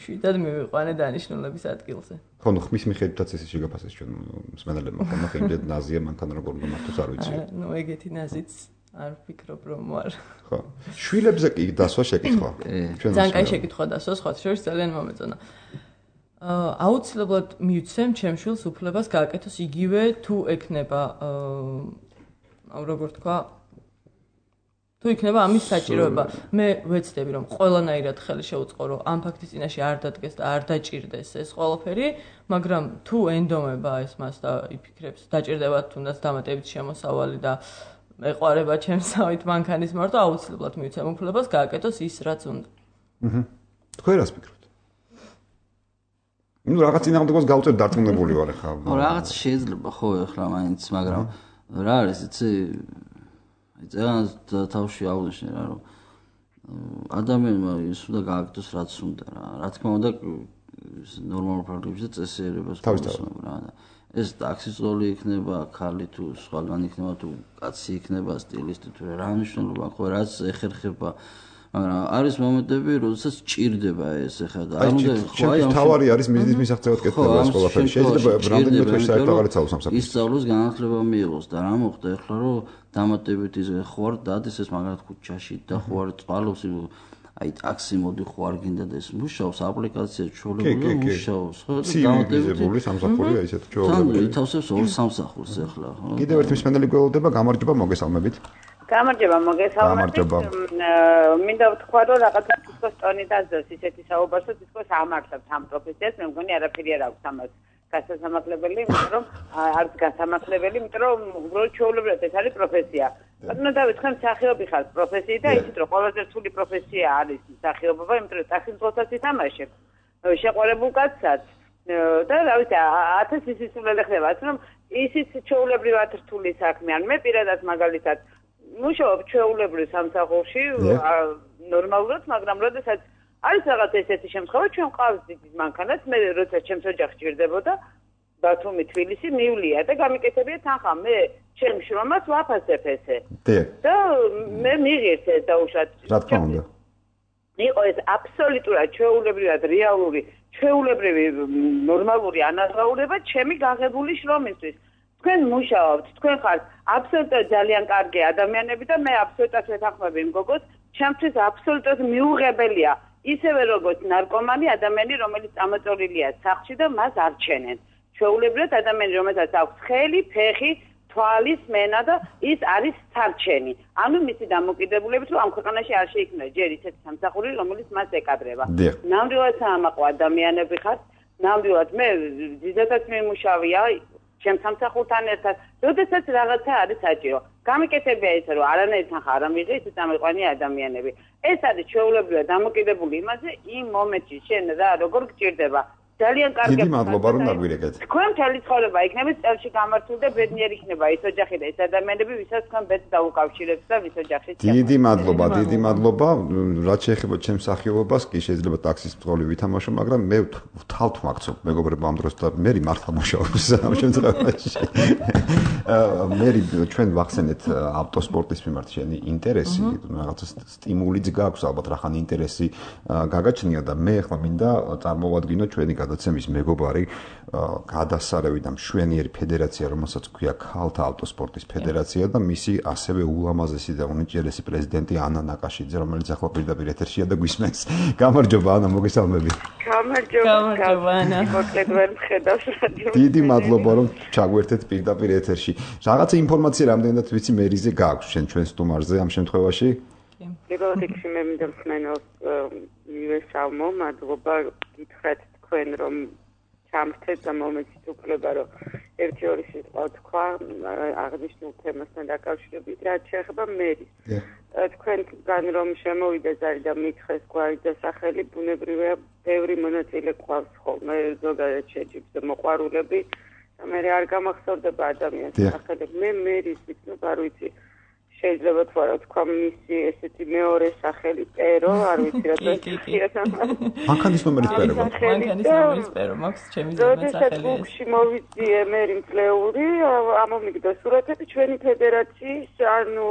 შვიდად მივიყვანე დანიშნულების ადგილზე. ხო, ნუ ხმის მიხედვითაც ესე შეგაფასეს ჩვენ მსმენელებმა, ხო, ნახე იმდენ ნაზია მანქანა როგორ უნდა მართოს არ ვიცი. ნუ ეგეთი ნაზიც არ ვფიქრობ რომ ვარ. ხო. შვილებზე კი დასვა შეკითხვა. ჩვენ ძალიან კაი შეკითხვა დასვა, სხვა შორის ძალიან მომეწონა. აა აუცილებლად მივცემ ჩემ შვილს უფლებას გააკეთოს იგივე თუ ექნება აა როგორ თქვა თუ იქნება ამის საჭიროება. მე ვეცდები რომ ყველანაირად ხელი შეუწყო რომ ამ ფაქტის წინაშე არ დადგეს და არ დაჭირდეს ეს ყველაფერი, მაგრამ თუ ენდომება ეს მას და იფიქრებს დაჭირდება თუნდაც დამატებით შემოსავალი და ეყარება ჩემსავით მანქანის მარტო აუცილებლად მივცემ უფლებას გააკეთოს ის რაც უნდა. აჰა. თქვენ რას ფიქრობთ? ну რაღაც წინააღმდეგოს გავწერ დარწმუნებული ვარ ხა. ხო, რაღაც შეიძლება ხო ეხლა მაინც, მაგრამ რა არის იცი? აი ძალიან თავში აღვნიშნე რა რომ ადამიანმა ის უნდა გააკეთოს რაც უნდა რა. რა თქმა უნდა ნორმალურ პრაგრამებში და წესიერებას თავისთავად რა და ეს ტაქსის ზოლი იქნება, ხალი თუ სხვაგან იქნება თუ კაცი იქნება, სტილისტი თუ რა მნიშვნელობა ხო რაც ეხერხება მაგრამ არის მომენტები, როდესაც ჭირდება ეს ახლა და არ უნდა ხო აი ამ თავარი არის მიზნის მისაღწევად კეთდება ეს ყველაფერი. შეიძლება რამდენიმე თვეში საერთოდ აღარ იცავოს ამ საქმეს. ისწავლოს განათლება მიიღოს და რა მოხდა ახლა რომ დამატებით ის ხوار დადის ეს მაგალითად ქუჩაში და ხوار წვალობს აი ტაქსი მოდი ხო არ გინდა და ეს მუშაობს აპლიკაცია ჩვეულებრივ მუშაობს ხო დამატებული სამსახურია ისეთ ჩვეულებრივ. თან ითავსებს ორ სამსახურს ახლა ხო. კიდევ ერთი მსმენელი გველოდება გამარჯობა მოგესალმებით. გამარჯობა მოგესალმებით. მინდა ვთქვა რომ რაღაცა თვითონ ტონი დაძოს ისეთი საუბარს რომ თვითონ ამართლებს ამ პროფესიას მე მგონი არაფერი არ აქვს ამას გასასამართლებელი იმიტომ რომ არც გასამართლებელი იმიტომ რომ უბრალოდ ჩვეულებრივად ეს არის პროფესია. ანუ დავიწყე მსახიობი ხარ პროფესიით და იცით რომ ყველაზე რთული პროფესია არის მსახიობობა იმიტომ რომ ტაქსის მძღოლსაც ითამაშებ შეყვარებულ კაცსაც და რა ვიცი ათასი სისულელე ხდება რომ ისიც ჩვეულებრივად რთული საქმე ან მე პირადად მაგალითად მუშაობ ჩვეულებრივ სამსახურში ნორმალურად მაგრამ როდესაც არის რაღაც ესეთი შემთხვევა ჩვენ ყავს დიდი მანქანაც მე როცა ჩემს ოჯახში ჭირდებოდა ბათუმი თბილისი მივლია და გამიკეთებია თანხა მე ჩემ შრომას ვაფასებ ესე და მე მიღირს ეს დაუშვათ რა თქმა უნდა იყო ეს აბსოლუტურად ჩვეულებრივად რეალური ჩვეულებრივი ნორმალური ანაზღაურება ჩემი გაღებული შრომისთვის თქვენ მუშაობთ თქვენ ხართ აბსოლუტურად ძალიან კარგი ადამიანები და მე აბსოლუტურად ვეთანხმები იმ გოგოს ჩემთვის აბსოლუტურად მიუღებელია ისევე როგორც ნარკომანი ადამიანი რომელიც წამოწოლილია სახლში და მას არჩენენ ჩვეულებრივად ადამიანი რომელსაც აქვს ხელი ფეხი თვალის მენა და ის არის სარჩენი ანუ მისი დამოკიდებულებით რომ ამ ქვეყანაში არ შეიქმნა ჯერ ისეთი სამსახური რომელიც მას ეკადრება ნამდვილად საამაყო ადამიანები ხართ ნამდვილად მე ძიდადაც მიმუშავია ჩემ სამსახურთან ერთად, როდესაც რაღაცა არის საჭირო. გამიკეთებია ისე, რომ არანაირი თანხა არ ამიღე, ისე წამიყვანი ადამიანები. ეს არის ჩვეულებრივად დამოკიდებული იმაზე, იმ მომენტში შენ რა როგორ გჭირდება. ძალიან კარგი. დიდი მადლობა რომ დაგვირეკეთ. თქვენ მთელი ცხოვრება იქნებით წელში გამართული და ბედნიერი იქნება ის ოჯახი და ეს ადამიანები, ვისაც თქვენ ბედს დაუკავშირებთ და ვის ოჯახში. დიდი მადლობა, დიდი მადლობა. რაც შეეხება ჩემს სახიობობას, კი შეიძლება ტაქსის მძღოლი ვითამაშო, მაგრამ მე ვთავთ მაგცობ მეგობრებო ამ დროს და მე მართლა მუშაობს ამ შემთხვევაში. მე ჩვენ ვახსენეთ ავტოსპორტის მიმართ შენი ინტერესი, რაღაცა სტიმულიც გაქვს ალბათ რახან ინტერესი გაგაჩნია და მე ახლა მინდა წარმოვადგინო ჩვენი გადაცემის მეგობარი გადასარევი და მშვენიერი ფედერაცია, რომელსაც ქვია ქალთა ავტოსპორტის ფედერაცია და მისი ასევე ულამაზესი და უნიჭიერესი პრეზიდენტი ანა ნაკაშიძე, რომელიც ახლა პირდაპირ ეთერშია და გვისმენს. გამარჯობა ანა, მოგესალმებით. გამარჯობა. გამარჯობა ანა. მოკლედვარ მხედავს რადიო. დიდი მადლობა რომ ჩაგვერთეთ პირდაპირ ეთერში. რაღაცა ინფორმაცია რამდენად ვიცი მერიზე გააქვს შენ ჩვენ სტუმარზე ამ შემთხვევაში? პირველ რიგში მე მინდა მსმენელს მივესალმო, მადლობა გითხრათ თქვენ რომ ჩამრთეთ და მომეცით უფლება რომ ერთი ორი სიტყვა თქვა აღნიშნულ თემასთან დაკავშირებით რაც შეეხება მერის. თქვენგან რომ შემოვიდა ზარი და მითხეს გვარი დასახელი ბუნებრივია ბევრი მონაწილე ყავს ხოლმე ზოგადად შეჯიბს და მოყვარულები და მე არ გამახსოვდება ადამიანის სახელები. მე მერის ვიქნებ არ ვიცი შეიძლება თქვა რა თქვა მისი ესეთი მეორე სახელი პერო არ ვიცი რა და მანქანის ნომერის პერო მანქანის ნომერის პერო მაქვს ჩემი ძმა სახელი ეს შემოვიძიე მე იმწლეული ამომიგდა სურათები ჩვენი ფედერაციის ანუ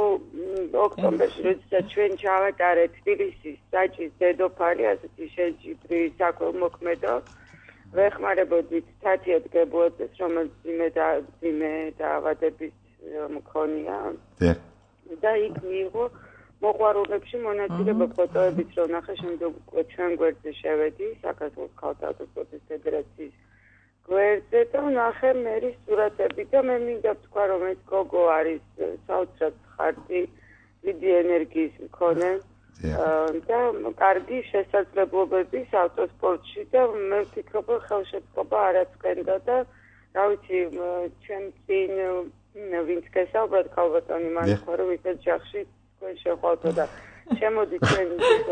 ოქტომბერში როდესაც ჩვენ ჩავატარეთ თბილისის საჭის დედოფალი ასეთი შეჯიბრი საქველმოქმედო ვეხმარებოდით თათია დგებუაძეს რომელიც ძიმე და ძიმე დაავადების მქონია და იქ მიიღო მოყვარულებში მონაწილეობა ფოტოებით რომ ნახე შემდეგ უკვე ჩვენ გვერდზე შევედი საქართველოს ქალთა ავტოსპორტის ფედერაციის გვერდზე და ნახე მერის სურათები და მე მინდა ვთქვა რომ ეს გოგო არის საოცრად ხარტი დიდი ენერგიის მქონე და კარგი შესაძლებლობების ავტოსპორტში და მე ვფიქრობ რომ ხელშეწყობა არაწყენდა და რა ვიცი ჩვენ წინ ვინც გესაუბრეთ ქალბატონი მან თქვა რომ ისეთ ჯახში თქვენ შეხვავთ და შემოდით ჩვენ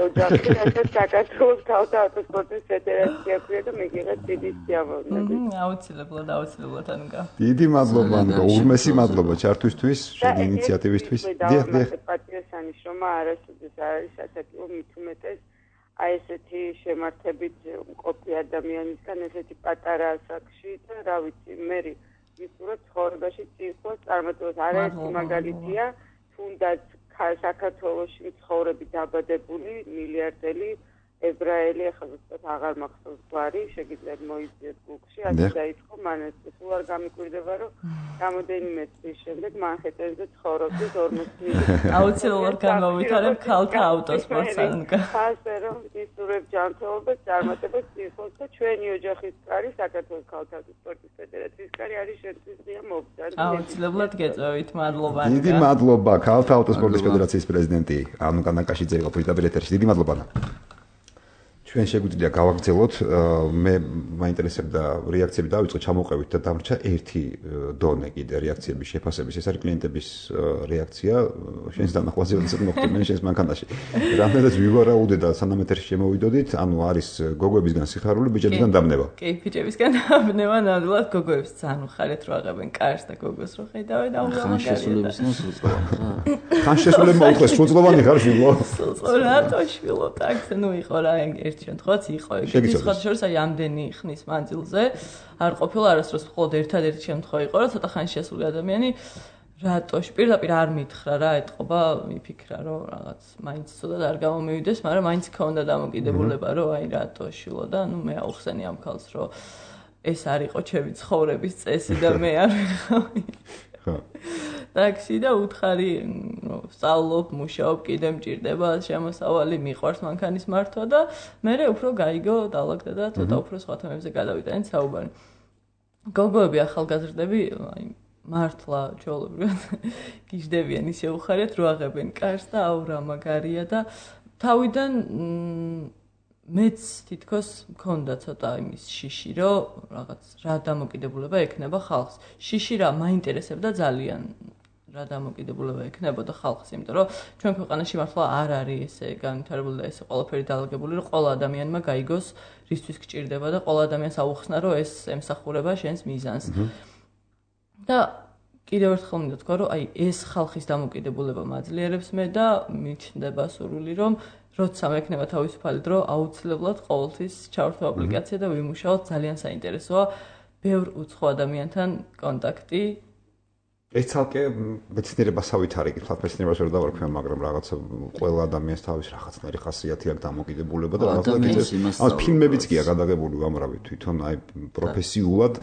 ოჯახი, რასაც საქართველოს თავდაცვის სპორტის ფედერაცია ქვია და მიგიღეთ დიდი სიამოვნებით. აუცილებლად, აუცილებლად ანკა. დიდი მადლობა ანკა, ურმესი მადლობა ჩართვისთვის, შენი ინიციატივისთვის. დიახ, დიახ. პატრიოტიზმის შრომა არასოდეს არ არის ასაკილო მით უმეტეს აი ესეთი შემართებით მყოფი ადამიანისგან ესეთი პატარა ასაკში და რა ვიცი, მე ვისურვებ ცხოვრებაში წინსვლას წარმატებას. არაერთი მაგალითია, თუნდაც საქართველოში მცხოვრები დაბადებული მილიარდელი ებრაელი, ახლა ზუსტად აღარ მახსოვს გვარი, შეგიძლიათ მოიძიეთ გუგლში, ასე დაიწყო მანეს. სულ არ გამიკვირდება, რომ რამოდენიმე წლის შემდეგ მანჰეტენზე ცხოვრობდეს ორმოცი მილიონი. აუცილებლად გამოვითარებ ქალთა ავტოსპორტს ანკა. ასე რომ ვისურვებ ჯანმრთელობას, წარმატებას წინსვლას და ჩვენი ოჯახის კარი, საქართველოს ქალთა ავტოსპორტის ფედერაციის კარი არის შენთვის ღია მობრძანე. აუცილებლად გეწევით, მადლობა ანკა. დიდი მადლობა ქალთა ავტოსპორტის ფედერაციის პრეზიდენტი ანუკა ნაკაშიძე იყო პირდაპირ ეთერში. დიდი მადლობა. ჩვენ შეგვიძლია გავაგრძელოთ, მე მაინტერესებდა რეაქციები დავიწყო, ჩამოყევით და დამრჩა ერთი დონე კიდე რეაქციების შეფასების. ეს არის კლიენტების რეაქცია, შენს დანახვაზე როდესაც მოხდნენ შენს მანქანაში. რამდენადაც ვივარაუდე და სანამ ეთერში შემოვიდოდით, ანუ არის გოგოებისგან სიხარული, ბიჭებისგან დამნება. კი, ბიჭებისგან დამნება, ნამდვილად გოგოებს ძალიან უხარეთ რო აღებენ კარს და გოგოს რო ხედავენ და ხანშესულების ნოსრულობ. ხანშესულები მოუხეს, სრულწლოვანი ხარ შვილო. სრულწლოვანი რატო შვილო, так, ну იყო რა ერთ შემთხვევაც იყო ეგეთი სხვა შორის აი ამდენი ხნის მანძილზე არ ყოფილა არასდროს მხოლოდ ერთადერთი შემთხვევა იყო რომ ცოტა ხანში შესული ადამიანი რატოში პირდაპირ არ მითხრა რა ეთყობა მიფიქრა რომ რაღაც მაინც ცოტა არ გამომივიდეს მაგრამ მაინც ქონდა დამოკიდებულება რომ აი რატო შვილო და ნუ მე აუხსენი ამ ქალს რომ ეს არ იყო ჩემი ცხოვრების წესი და მე არ ვიყავი ტაქსი და უთხარი სწავლობ, მუშაობ, კიდე მჭირდება შემოსავალი, მიყვარს მანქანის მართვა და მე უფრო გაიგო დალაგდა და ცოტა უფრო სხვა თემებზე გადავიტანეთ საუბარი. გოგოები ახალგაზრდები, აი მართლა ჩვეულებრივად გიждდებიან ისე უხარიათ რო აღებენ კარს და აუ რა მაგარია და თავიდან მეც თითქოს მქონდა ცოტა იმის შიში, რომ რაღაც რა დამოკიდებულება ექნება ხალხს. შიში რა მაინტერესებდა ძალიან რა დამოკიდებულება ექნებოდა ხალხს, იმიტომ რომ ჩვენ ქვეყანაში მართლა არ არის ესე განვითარებული და ესე ყველაფერი დალაგებული, რომ ყველა ადამიანმა გაიგოს რისთვის გჭირდება და ყველა ადამიანს აუხსნა, რომ ეს ემსახურება შენს მიზანს. და კიდევ ერთხელ მინდა თქვა, რომ აი ეს ხალხის დამოკიდებულება მაძლიერებს მე და მიჩნდება სურვილი, რომ როცა მექნება თავისუფალი დრო, აუცილებლად ყოველთვის ჩავერთო აპლიკაცია და ვიმუშაოთ, ძალიან საინტერესოა ბევრ უცხო ადამიანთან კონტაქტი. ეს ცალკე მეცნიერებასავით არის, თვალ მეცნიერებას ვერ დავარქვია, მაგრამ რაღაცა ყველა ადამიანს თავის რაღაცნაირი ხასიათი აქვს დამოკიდებულება და რაღაცა ამას ფილმებიც კი აქვს გადაღებული უამრავი თვითონ აი პროფესიულად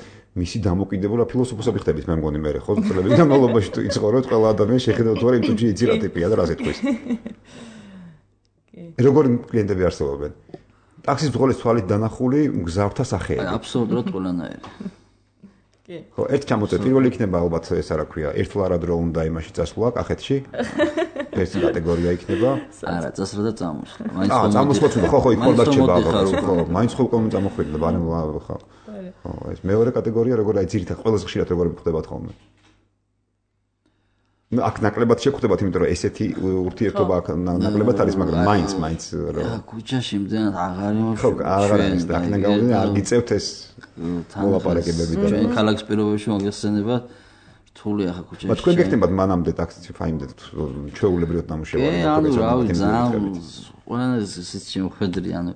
მისი დამოკიდებულება ფილოსოფოსები ხდებით მე მგონი მე ხო წლების განმავლობაში თუ იცხოვროთ ყველა ადამიანი შეხედავთ ვარ იმ თუჯი იცი რა ტიპია და რა ზეთქვის. როგორი კლიენტები არსებობენ? ტაქსის ბრძოლის თვალით დანახული მგზავრთა სახეები. აბსოლუტურად ყველანაირი. კი. ხო, ერთ ჩამოწე პირველი იქნება ალბათ ეს რა ქვია, ერთლარად რო უნდა იმაში წასვლა კახეთში. ეს კატეგორია იქნება. არა, წასვლა და წამოსვლა. მაინც ხო. აა, წამოსვლა თუ ხო, ხო, იქ ხორდა რჩება ალბათ, ხო, მაინც ხო უკვე წამოხვიდე, ბანემ ხო. ხო, ეს მეორე კატეგორია როგორ აი ძირითადად ყველაზე ხშირად როგორ ხდებათ ხოლმე. აქ ნაკლებად შეგხვდებათ, იმიტომ რომ ესეთი ურთიერთობა აქ ნაკლებად არის, მაგრამ მაინც, მაინც რა ქუჩაში მძენად აღარ იმოშ. ხო, აღარ არის და აქ ნაგავდნენ არ გიწევთ ეს მოლაპარაკებები და ჩვენ ქალაქის პირობებში მოგეხსენება რთულია ხა ქუჩაში. მაგრამ თქვენ გეკნებათ მანამდე ტაქსი ფაიმდეთ ჩვეულებრივად ნამუშევარი. კი, ანუ რავი, ძალიან ყველანაირი სისტემა შეხედრი, ანუ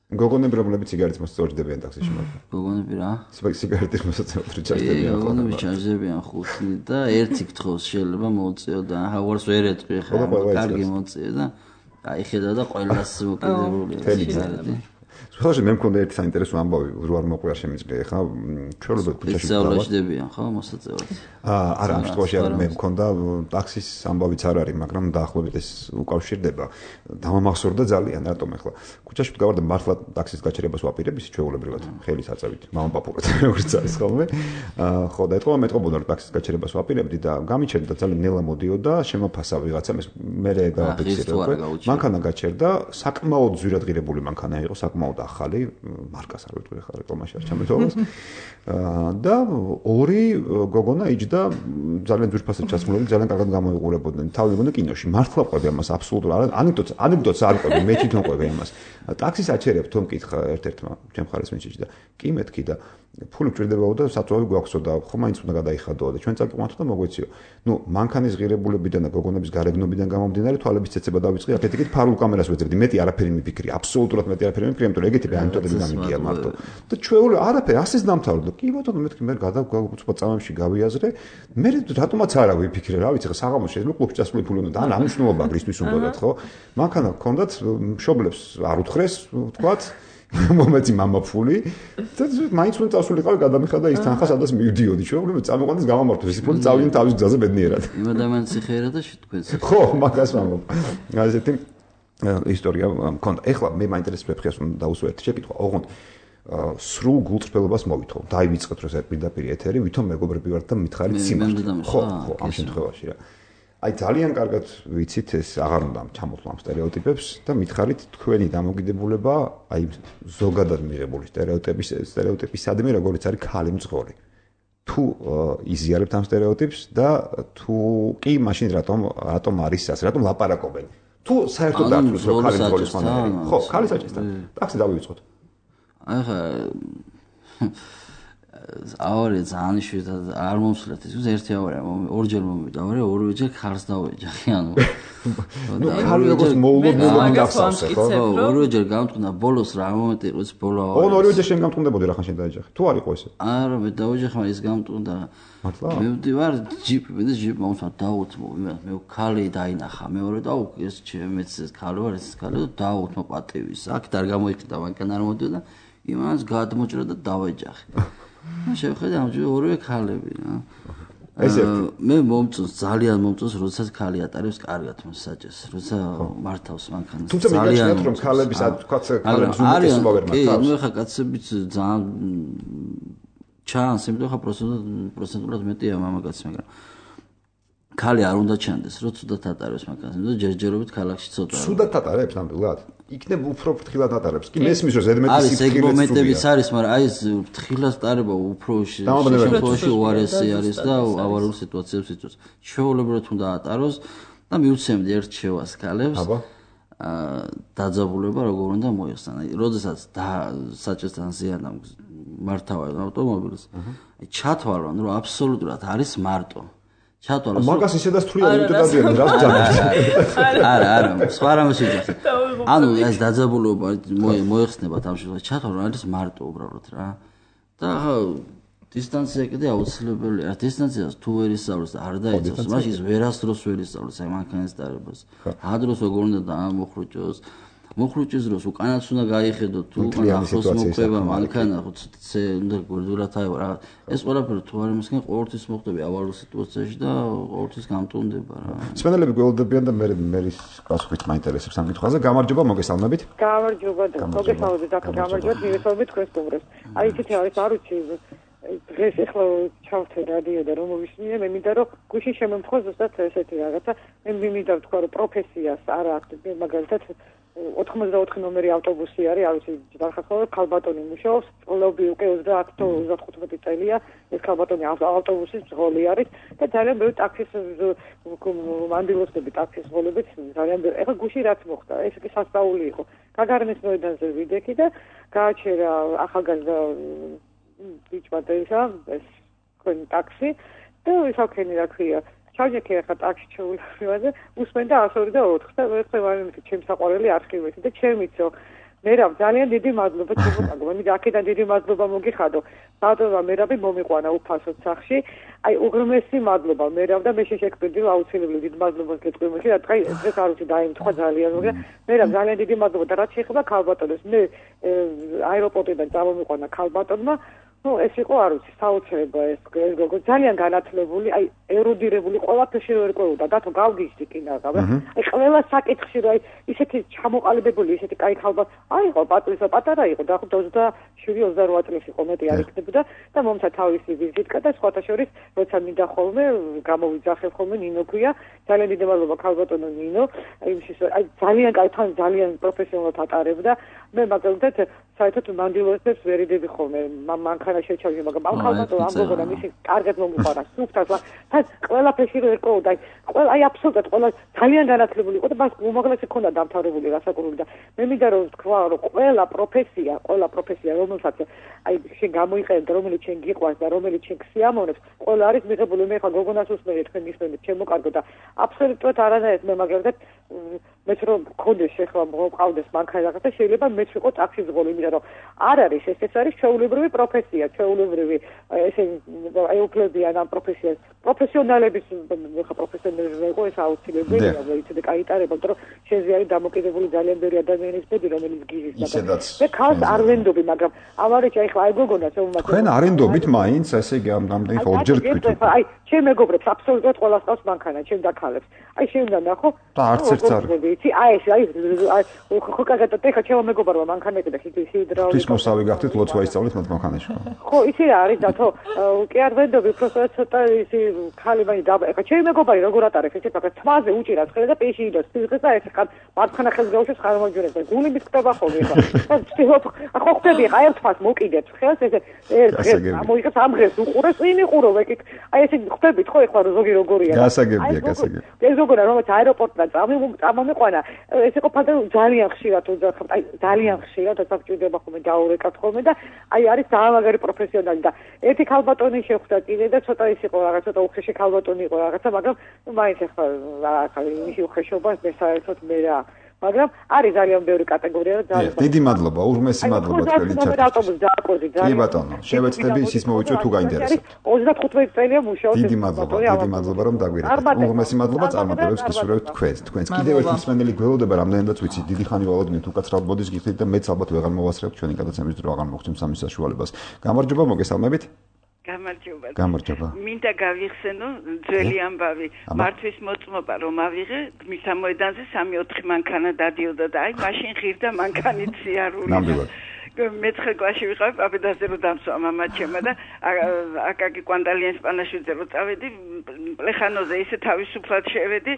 გოგონები რომლებიც სიგარეტს მოსწორდებიან ტაქსში მაგრამ გოგონები რა? სიგარეტის მოსაწევად ჩარჯდებიან. გოგონები ჩარჯდებიან ხუთი და ერთი კითხოს შეიძლება მოუწიო და ჰავარს ვერ ეტყვი ხა კარგი მოწიო და აი ხედა და ყველას მოკიდებულია სიგარეტი. სულ მე მქონდა ერთი საინტერესო ამბავი რო არ მოყვია შემიძლია ხა ჩვეულებრივ ქუჩაში დავაჭდებიან ხო მოსაწევად. აა არა ამ შემთხვევაში არ მე მქონდა ტაქსის ამბავიც არ არის მაგრამ დაახლოებით ეს უკავშირდება დამამახსოვრდა ძალიან რატომ ახლა ქუჩაში გავარდა მართლა ტაქსის გაჩერებას ვაპირებ ის ჩვეულებრივად ხელის აწევით მამაპაპურად როგორც არის ხოლმე აა ხო და ეთქვა მეტყობოდა რომ ტაქსის გაჩერებას ვაპირებდი და გამიჩერდა ძალიან ნელა მოდიოდა შემოფასა ვიღაცამ ეს მე გავაფიქსირე უკვე მანქანა გაჩერდა საკმაოდ ძვირადღირებული მანქანა იყო საკმაოდ ახალი მარკას არ ვიტყვი ხარ რეკლამაში არ ჩამეთვალოს და ორი გოგონა იჯდა ძალიან ძვირფასად ჩასმულები, ძალიან კარგად გამოიყურებოდნენ. თავი მგონი კინოში. მართლა ყვები ამას აბსოლუტურად. ანეკდოტს, ანეკდოტს არ ყვები, მე თვითონ ყვები ამას. ტაქსის აჩერებ თომ მკითხა ერთ-ერთმა ჩემ ხარეს მეჩეთში და კი მეთქი და ფული მჭირდებაო და საწვავი გვაქვსო და ხო მაინც უნდა გადაიხადოო და ჩვენ წაკიყვანთო და მოგვეციო. ნუ მანქანის ღირებულებიდან და გოგონების გარეგნობიდან გამომდინარე თვალების ცეცება დავიწყე, აქეთ-იქით ფარულ კამერას ვეძებდი. მეტი არაფერი მიფიქრი, აბსოლუტურად მეტი არაფერი მიფიქრი, იმიტომ რომ ეგეთი ანეკდოტები გამიგია მარტო. და ჩვეული არაფერი ასეც დამთავრდა. კი ბატონო მეთქი მე გადავგუწვა წამებში გავიაზრე. მე რატომაც არა ვიფიქრე, რა ვიცი, საღამოს შეიძლება კლუბში წასული ფული უნდა და ან ამნიშნულობა გრისთვის უნდათ, ხო? მანქანა გქონდათ მშობლებს არ უთხრეს, ვთქვათ მომეცი მამა ფული და მაინც უნდა წასულიყავი გადამიხადა ის თანხა სადაც მივდიოდი ჩვენ წამოყვანეს გამომართოს ის ფული წავიდნენ თავის გზაზე ბედნიერად იმ ადამიანს იხერა და შეთქვენს ხო მაგას ვამბობ ასეთი ისტორია მქონდა ეხლა მე მაინტერესებს ფეხს უნდა დაუსვათ შეკითხვა ოღონდ სრულ გულწრფელობას მოვითხოვ დაივიწყეთ რომ პირდაპირ ეთერი ვითომ მეგობრები ვართ და მითხარით სიმართლე ხო ხო ამ შემთხვევაში რა აი ძალიან კარგად ვიცით ეს აღარ უნდა ჩამოთვლამ სტერეოტიპებს და მითხარით თქვენი დამოკიდებულება აი ზოგადად მიღებული სტერეოტიპის სტერეოტიპისადმი როგორც არის ქალი მძღოლი თუ იზიარებთ ამ სტერეოტიპს და თუ კი მაშინ რატომ რატომ არის ასე რატომ ლაპარაკობენ თუ საერთოდ დართულს რომ ქალი მძღოლის მანერი ხო ქალი საჭესთან ტაქსი დავივიწყოთ აი ხა ავარი ძალიან იშვიათად არ მომსვლათ ის ერთი ავარია ორჯერ მომივიდა ავარი ორივეჯერ ხარს დავეჯახი ანუ ნუ ხარი როგორც მოულოდნელი გახსოვს ხო ორივეჯერ გამტყნა ბოლოს რა მომენტი იყო ეს ბოლო ავარი ო ორივეჯერ შენ გამტყნდებოდი რა ხან შენ დაეჯახი თუ არ იყო ესე არა მე დავეჯახი მაგრამ ის გამტყნდა მართლა მე ვდივარ ჯიპი მე ჯიპი მომსვა დაუთმო მე ქალი დაინახა მეორე და ეს ჩემეც ეს ქალი ვარ ეს ქალი და დაუთმო პატივის აქ და არ გამოიყიდა მანქანა არ მოდიოდა იმას გადმოჭრა და დავეჯახი შევხედე ამჯერ ორივე ქალები რა. ესე მე მომწონს ძალიან მომწონს როდესაც ქალი ატარებს კარგად მოსაჭეს, როცა მართავს მანქანას. თუმცა მიგაჩნიათ რომ ქალების თქვა ქალებს უმეტესობა ვერ მართავს. კი, ნუ ხა კაცებიც ძალიან ჩანს, იმიტომ ხა პროცენტულად მეტია მამაკაცი, მაგრამ ქალი არ უნდა ჩანდეს, რომ ცუდად ატარებს მანქანას, იმიტომ ჯერჯერობით ქალაქში ცოტა. ცუდად ატარებს ნამდვილად? იქნებ უფრო ფრთხილად ატარებს. კი მესმის რომ ზედმეტი სიფრთხილე. არის ეგ მომენტებიც არის, მაგრამ აი ეს ფრთხილად ატარება უფრო შემთხვევაში უარესი არის და ავარიულ სიტუაციებს იწვევს. ჩვეულებრივად უნდა ატაროს და მიუცემდი ერთ შევას ქალებს. აბა. აა დაძაბულება როგორ უნდა მოიხსნა. აი, როდესაც საჭესთან ზიანამ მართავენ ავტომობილს. აი ჩათვალონ, რომ აბსოლუტურად არის მარტო. ჩათვალოს მაგას ისედაც თვლიან იმიტომ დადიან რას ჯანმრთელს არა არა სხვა რამეს ვიძახი ანუ ეს დაძაბულობა მოიხსნება ამ შემთხვევაში ჩათვალო არის მარტო უბრალოდ რა და დისტანცია კიდე აუცილებელია დისტანციას თუ ვერ ისწავლოს და არ დაიცავს მაშინ ის ვერასდროს ვერ ისწავლოს აი მანქანის დარებას ადროს როგორ უნდა დაამოხრუჭოს მოხრუჭის დროს უკანაც უნდა გაიხედო თუ ახლოს მოყვება მანქანა ხო ცე უნდა გვერდულად აიღო რა ეს ყველაფერი თუ არ იმისგან ყოველთვის მოხდები ავარიულ სიტუაციაში და ყოველთვის გამტუნდება რა სპენელები გველოდებიან და მე მე პასუხით მაინტერესებს ამ კითხვაზე გამარჯობა მოგესალმებით გამარჯობა და მოგესალმებით და გამარჯობა მივესალმებით თქვენს სტუმრებს აი ისეთი არის არ ვიცი დღეს ახლა ჩავთე რადიო და რომ მოვისმინე მე მინდა რომ გუშინ შემემთხვა ზუსტად ესეთი რაღაცა მე მინდა ვთქვა რომ პროფესიას არა მაგალითად ოთხმოცდაოთხი ნომერი ავტობუსი არის, არ ვიცი, დახახავ ქალბატონი მუშაობს, წლები უკვე ოცდაათი თუ ოცდახუთმეტი წელია, ეს ქალბატონი ავტობუსის მძღოლი არის და ძალიან ბევრი ტაქსის მანდილოსები ტაქსის მძღოლებიც ძალიან ბევრი. ეხლა გუშინ რაც მოხდა, ეს კი სასწაული იყო. გაგარნის მოედანზე ვიდექი და გააჩერა ახალგაზრდა ბიჭმა და ეს თქვენი ტაქსი და ისაქენი რა ქვია ჩავჯექი ახლა ტაქსი ჩეულებრივაზე უსმენდა ასორი და ოთხი და მე ხე ვარ ჩემს საყვარელი არქივეთი და ჩემიცო მერაბ ძალიან დიდი მადლობა ჩემო მე აქედან დიდი მადლობა მოგიხადო ბატონო მერაბი მომიყვანა უფასოდ სახში აი უღრმესი მადლობა მერაბ და მე შეშეკვდები აუცილებლად დიდ მადლობას გეტყვი რა თქმა უნდა ეს არ ვიცი დაიმთხვა ძალიან მაგრამ მერაბ ძალიან დიდი მადლობა და რაც შეეხება ქალბატონს მე აეროპორტიდან წამომიყვანა ქალბატონმა ну ეს იყო არ ვიცი საოცრება ეს ეს გოგო ძალიან განათლებული აი ერუდირებული ყველაფერში ვერ ყვეოდა დათო გავგიჟდი კინაღა აი ყველა საკითხში რა აი ისეთი ჩამოყალიბებული ისეთი კაი ხალბა აიყო პატრის პატარა იყო და ოცდაშვიდი ოცდარვა წლის იყო მეტი არ იქნებოდა და მომცა თავისი ვიზიტკა და სხვათა შორის როცა მინდა ხოლმე გამოვიძახებ ხოლმე ნინო ქვია ძალიან დიდი მადლობა ქალბატონო ნინო აი იმის აი ძალიან კაი თან ძალიან პროფესიონალად ატარებდა მე მაგალითად საერთოდ მანდილოსებს ვერ იდები ხოლმე მანქანა შეჩავდი მაგრამ ამ ხალხო ამ გოგონა მისი კარგად მომიყარა სუფთად თან ყველაფერში რო ერკოდა ყველა აი აბსოლუტურად ყველა ძალიან განათლებული იყო და მას უმაღლესი ქონდა დამთავრებული გასაკურული და მე მინდა რომ თქვა რომ ყველა პროფესია ყველა პროფესია რომელსაც აი შენ გამოიყენებ რომელიც შენ გიყვარს და რომელიც შენ ქსიამოვნებს ყველა არის მიღებული მე ხა გოგონას უსმენთ თქვენ მისმენთ ჩემო კარგო და აბსოლუტურად არანაირად მე მაგალითად მეც რომ მქონდეს ახლა მოვყავდეს მანქანა რაღაცა შეიძლება მეც ვიყო ტაქსის ზღოლი იმიტომ რომ არ არის ეს ეს არის ჩვეულებრივი პროფესია ჩვეულებრივი ესე აი უფლებიან ამ პროფესიას პროფესიონალების ხა პროფესიონალები იყო ეს აუცილებელია ვიცი კაიტარება იმიტომ რომ შენზე არის დამოკიდებული ძალიან ბევრი ადამიანის ბედი რომელიც გიზის ისედაც მე ხალხს არ ვენდობი მაგრამ ამარეჩ აი ხა აი გოგონას ომმა თქვენ არენდობით მაინც ესე იგი ამ ამდენი ხო ორჯერ თქვით აი ჩემ მეგობრებს აბსოლუტურად ყველას ყავს მანქანა ჩემ და ქალებს აი შევიდა ნახო და არც ერთს არ ვიცი აი ეს აი ხო კაგატა ხა ჩემო მეგობრებმა მანქანები და ხიდი ჰიდრაულიკა ის მოსავი გახდით ლოცვა ისწავლეთ მათ მანქანაში ხო იცი რა არის და თო კი არ ვენდობი უბრალოდ ცოტა ისი ხალი მაინც და ხა ჩემი მეგობარი როგორ ატარებს ეს ხა თმაზე უჭირავს ხელი და პეში იდოს სიზღეს და ეს ხა მარცხენა ხელს გაუშვებს ხარ მოჯერებს და გული მისკდება ხოლმე ხა ხო ხვდები ხა ერთფას მოკიდებს ხელს ეს ეს ამოიღებს ამ დღეს უყურეს წინ იყურო ვეკი აი ესე ხვდებით ხო ეხლა ზოგი როგორია გასაგებია გასაგებია ეს როგორია რომელიც აეროპორტიდან წამომიყვანა ეს იყო ფანტა ძალიან ხშირად უძახავ აი ძალიან ხშირად დასაჭირდება ხოლმე დაურეკავთ ხოლმე და აი არის დაამაგარი პროფესიონალი და ერთი ქალბატონი შეხვდა კიდე და ცოტა ის იყო რაღაც ცოტა უხეში ქალბატონი იყო რაღაცა მაგრამ მაინც ახლა რაღაცა იმისი უხეშობა მე საერთოდ მე რა მაგრამ არის ძალიან ბევრი კატეგორია და ძალიან დიდი მადლობა ურმესი მადლობა თქვენი ჩართვისთვის ავტობუსს დააკვირდი ძალიან კი ბატონო შევეცდები ისიც მოვიჭრო თუ გაინტერესებთ ოცდახუთმეტი წელია მუშაობ დიდი მადლობა დიდი მადლობა რომ დაგვირეკეთ ურმესი მადლობა წარმატებებს გისურვებთ თქვენს თქვენს კიდევ ერთი მსმენელი გველოდება რამდენადაც ვიცი დიდი ხანი ვალოდნით უკაცრავად მოდის გიხდით და მეც ალბათ ვეღარ მოვასწრებ ჩვენი გადაცემის დრო აღარ მოგცემ სამის საშუალებას გამარჯობა მოგესალმებით გამარჯობა. გამარჯობა. მინდა გავიხსენო ძველი ამბავი. მართვის მოწმობა რომ ავიღე, მისა მოედანზე სამი ოთხი მანქანა დადიოდა და აი მაშინ ღირდა მანქანით სიარული. ნამდვილად. მეცხრე კლასში ვიყავ, პაპედაზე რომ დამსვა მამა ჩემა და აკაკი კვანდალიან სპანაშვიძე რომ წავედი, პლეხანოზე ისე თავისუფლად შევედი,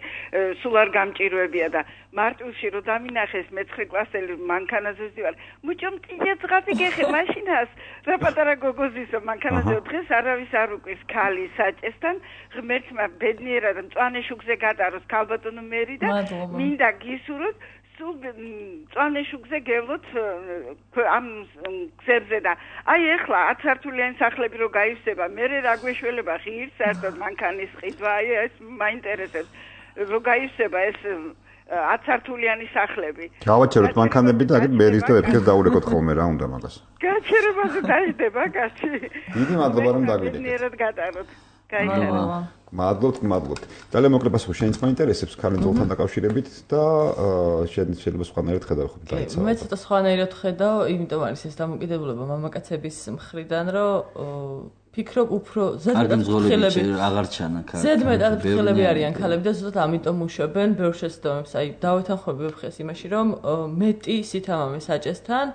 სულ არ გამჭირვებია და მარტვილში რომ დამინახეს მეცხრე კლასელი მანქანაზე ვდივარ. მუჭო მტია ძღაბი გეხე მაშინას, რა პატარა გოგოზისო მანქანაზე დღეს არავის არ უკვირს ქალი საჭესთან, ღმერთმა ბედნიერად მწვანე შუქზე გადაროს ქალბატონო მერი და მინდა გისურვოთ წვანე შუქზე გევლოთ ამ გზებზე და აი ეხლა ათ სართულიანი სახლები რო გაივსება მე რა გვეშველება ღირს საერთოდ მანქანის ყიდვა აი ეს მაინტერესებს რო გაივსება ეს ათ სართულიანი სახლები გავაჩეროთ მანქანები და აგეთ მერის და ვეფხეს დაურეკოთ ხოლმე რა უნდა მაგას გაჩერებაზე დაიდება კაცი დიდი მადლობა რომ დაგვიდეთ ნერად გადაროთ გაიჩერება მადლობთ, მადლობთ. ძალიან მოკლედ პასუხი შენც მაინტერესებს ქალინძოლთან დაკავშირებით და შეიძლება სხვანაირად ხედავ ხო დაიცავ. მე ცოტა სხვანაირად ხედავ, იმიტომ არის ეს დამოკიდებულება მამაკაცების მხრიდან, რომ ფიქრობ უფრო ზედმეტად ფრთხილები აღარ ჩანა ქალები. ზედმეტად ფრთხილები არიან ქალები და ზუსტად ამიტომ მუშაობენ ბევრ შეცდომებს. აი დავეთანხმები ვებხეს იმაში, რომ მეტი სითამამე საჭესთან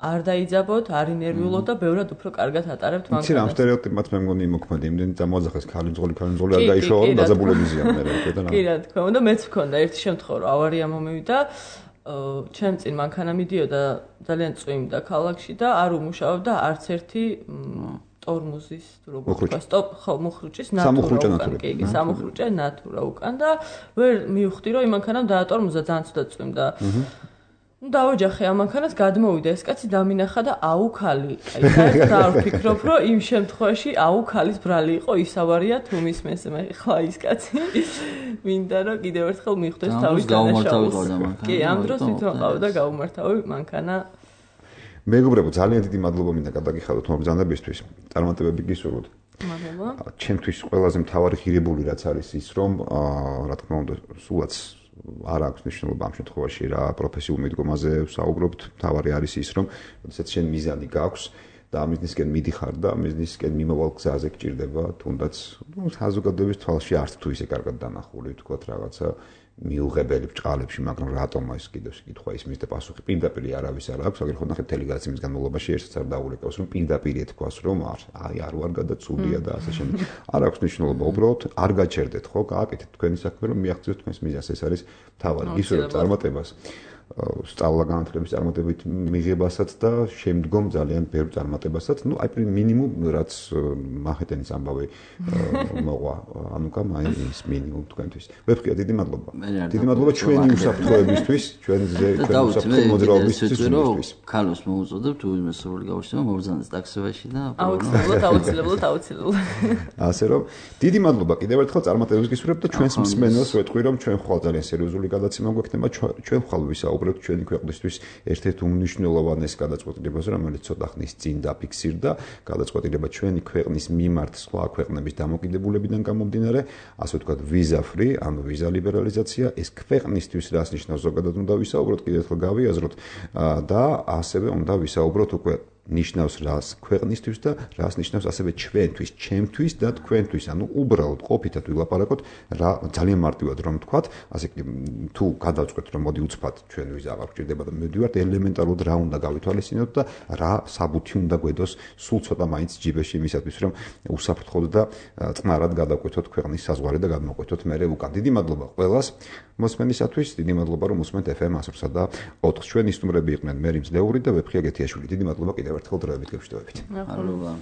არ დაიძაბოთ, არ ინერვიულოთ და ბევრად უფრო კარგად ატარებთ მანქანას. იცი რა სტერეოტიპად მე მგონი იმოქმედი, იმდენი წამოაძახეს ქალინძოლი, ქალინძოლი არ გაიშოვა, რომ დაძაბულებიზია მე რა და კი რა თქმა უნდა, მეც მქონდა ერთი შემთხვევა, რომ ავარია მომივიდა, ჩემ წინ მანქანა მიდიოდა ძალიან წვიმდა ქალაქში და არ უმუშაობდა არც ერთი ტორმუზის როგორ ვთქვა, სტოპ ხო მუხრუჭის ნატურა უკან, კი, სამუხრუჭე ნატურა უკან და ვერ მივხვდი, რომ იმ მანქანამ დაატორმუზა ძალიან ცუდად წვიმდა. ну დავოჯახე ამ მანქანას გადმოვიდა ეს კაცი დამინახა და აუ ქალი აი და არ ვფიქრობ რომ იმ შემთხვევაში აუ ქალის ბრალი იყო ისავარია თუ მისმენს მე ხლა ის კაცი მინდა რომ კიდევ ერთხელ მიხვდეს თავის დანაშაულს კი ამ დროს თვითონ ყავდა გაუმართავი მანქანა მეგობრებო ძალიან დიდი მადლობა მინდა გადაგიხადოთ მომბრძანებისთვის წარმატებები გისურვოთ მადლობა ჩემთვის ყველაზე მთავარი ღირებული რაც არის ის რომ რა თქმა უნდა სულაც არ აქვს ნიშნულობა ამ შემთხვევაში რა პროფესიულ მიდგომაზე ვსაუბრობთ. თავარი არის ის, რომ როდესაც შენ მიზანი გაქვს და ამ მიზნისკენ მიდიხარ და ამ მიზნისკენ მიმავალ გზაზე გჭირდება, თუნდაც საზოგადოების თვალში არც თუ ისე კარგად დანახული, თქვათ რაღაცა მიუღებელი ბრჭყალებში, მაგრამ რატომ ეს კიდევ შეკითხვა ისმის და პასუხი პირდაპირ არავის არ აქვს, აგერ ხო ნახეთ ტელეგრამის განმავლობაში ერთსაც არ დაურეკავს, რომ პირდაპირ ეთქვას, რომ აი არ ვარ გადაცულია და ასე შემდეგ. არ აქვს ნიშნულობა, უბრალოდ არ გაჩერდეთ, ხო? გააკეთეთ თქვენი საქმე, რომ მიაღწიოთ თქვენს მიზანს, ეს არის თავი. გისურვებთ წარმატებას. სწავლა განათლების წარმატებით მიღებასაც და შემდგომ ძალიან ბევრ წარმატებასაც. ნუ აი მინიმუმ რაც მაჰეტენის ამბავი მოყვა ანუკა მაინც მინიმუმ თქვენთვის. ვეფხია დიდი მადლობა. დიდი მადლობა ჩვენი უსაფრთხოებისთვის, ჩვენზე ჩვენი უსაფრთხო მოძრაობისთვის. ქალოს მოუწოდებ თუ იმას სრული გავშტება მობრძანდეს ტაქსივაში და აუცილებლად აუცილებლად აუცილებლად. ასე რომ დიდი მადლობა კიდევ ერთხელ წარმატებებს გისურვებ და ჩვენს მსმენელს ვეთქვი რომ ჩვენ ხვალ ძალიან სერიოზული გადაცემა გვექნება ჩვენ ხვალ ვისაუბრებთ ჩვენი ქვეყნისთვის ერთ-ერთ უმნიშვნელოვანეს გადაწყვეტილებას რომელიც ცოტა ხნის წინ დაფიქსირდა გადაწყვეტილება ჩვენი ქვეყნის მიმართ სხვა ქვეყნების დამოკიდებულებიდან გამომდინარე ასე ვთქვათ ვიზა ფრი ანუ ვიზა ლიბერალიზაცია ეს ქვეყნისთვის რას ნიშნავს ზოგადად უნდა ვისაუბროთ კიდევ ერთხელ გავიაზროთ და ასევე უნდა ვისაუბროთ უკვე ნიშნავს რას ქვეყნისთვის და რას ნიშნავს ასევე ჩვენთვის, ჩემთვის და თქვენთვის. ანუ უბრალოდ ყოფითად ვილაპარაკოთ რა ძალიან მარტივად რომ ვთქვათ, ასე კი თუ გადავწყვეტ რომ მოდი უცბად ჩვენ ვიზა აღარ გვჭირდება და მივდივართ ელემენტარულად რა უნდა გავითვალისწინოთ და რა საბუთი უნდა გვედოს სულ ცოტა მაინც ჯიბეში იმისათვის რომ უსაფრთხოდ და წყნარად გადავკვეთოთ ქვეყნის საზღვარი და გადმოკვეთოთ მერე უკან. დიდი მადლობა ყველას მოსმენისათვის, დიდი მადლობა რომ უსმენთ ეფ ემ one oh three და ოთხს. ჩვენი სტუმრები იყვნენ მერი მძლეური და ვეფხია გეთიაშვილი. დიდი მადლობა კიდევ ერთხელ დროებით გეშვიდობებით. მადლობა.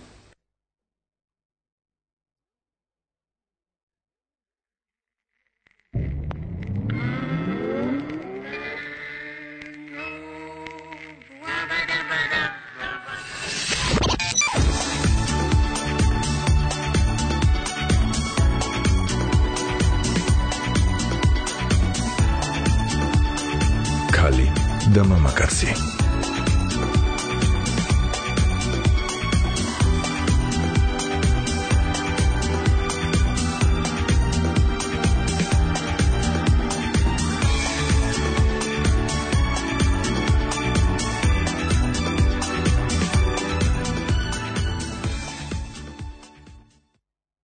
Kali da Mama Karsi.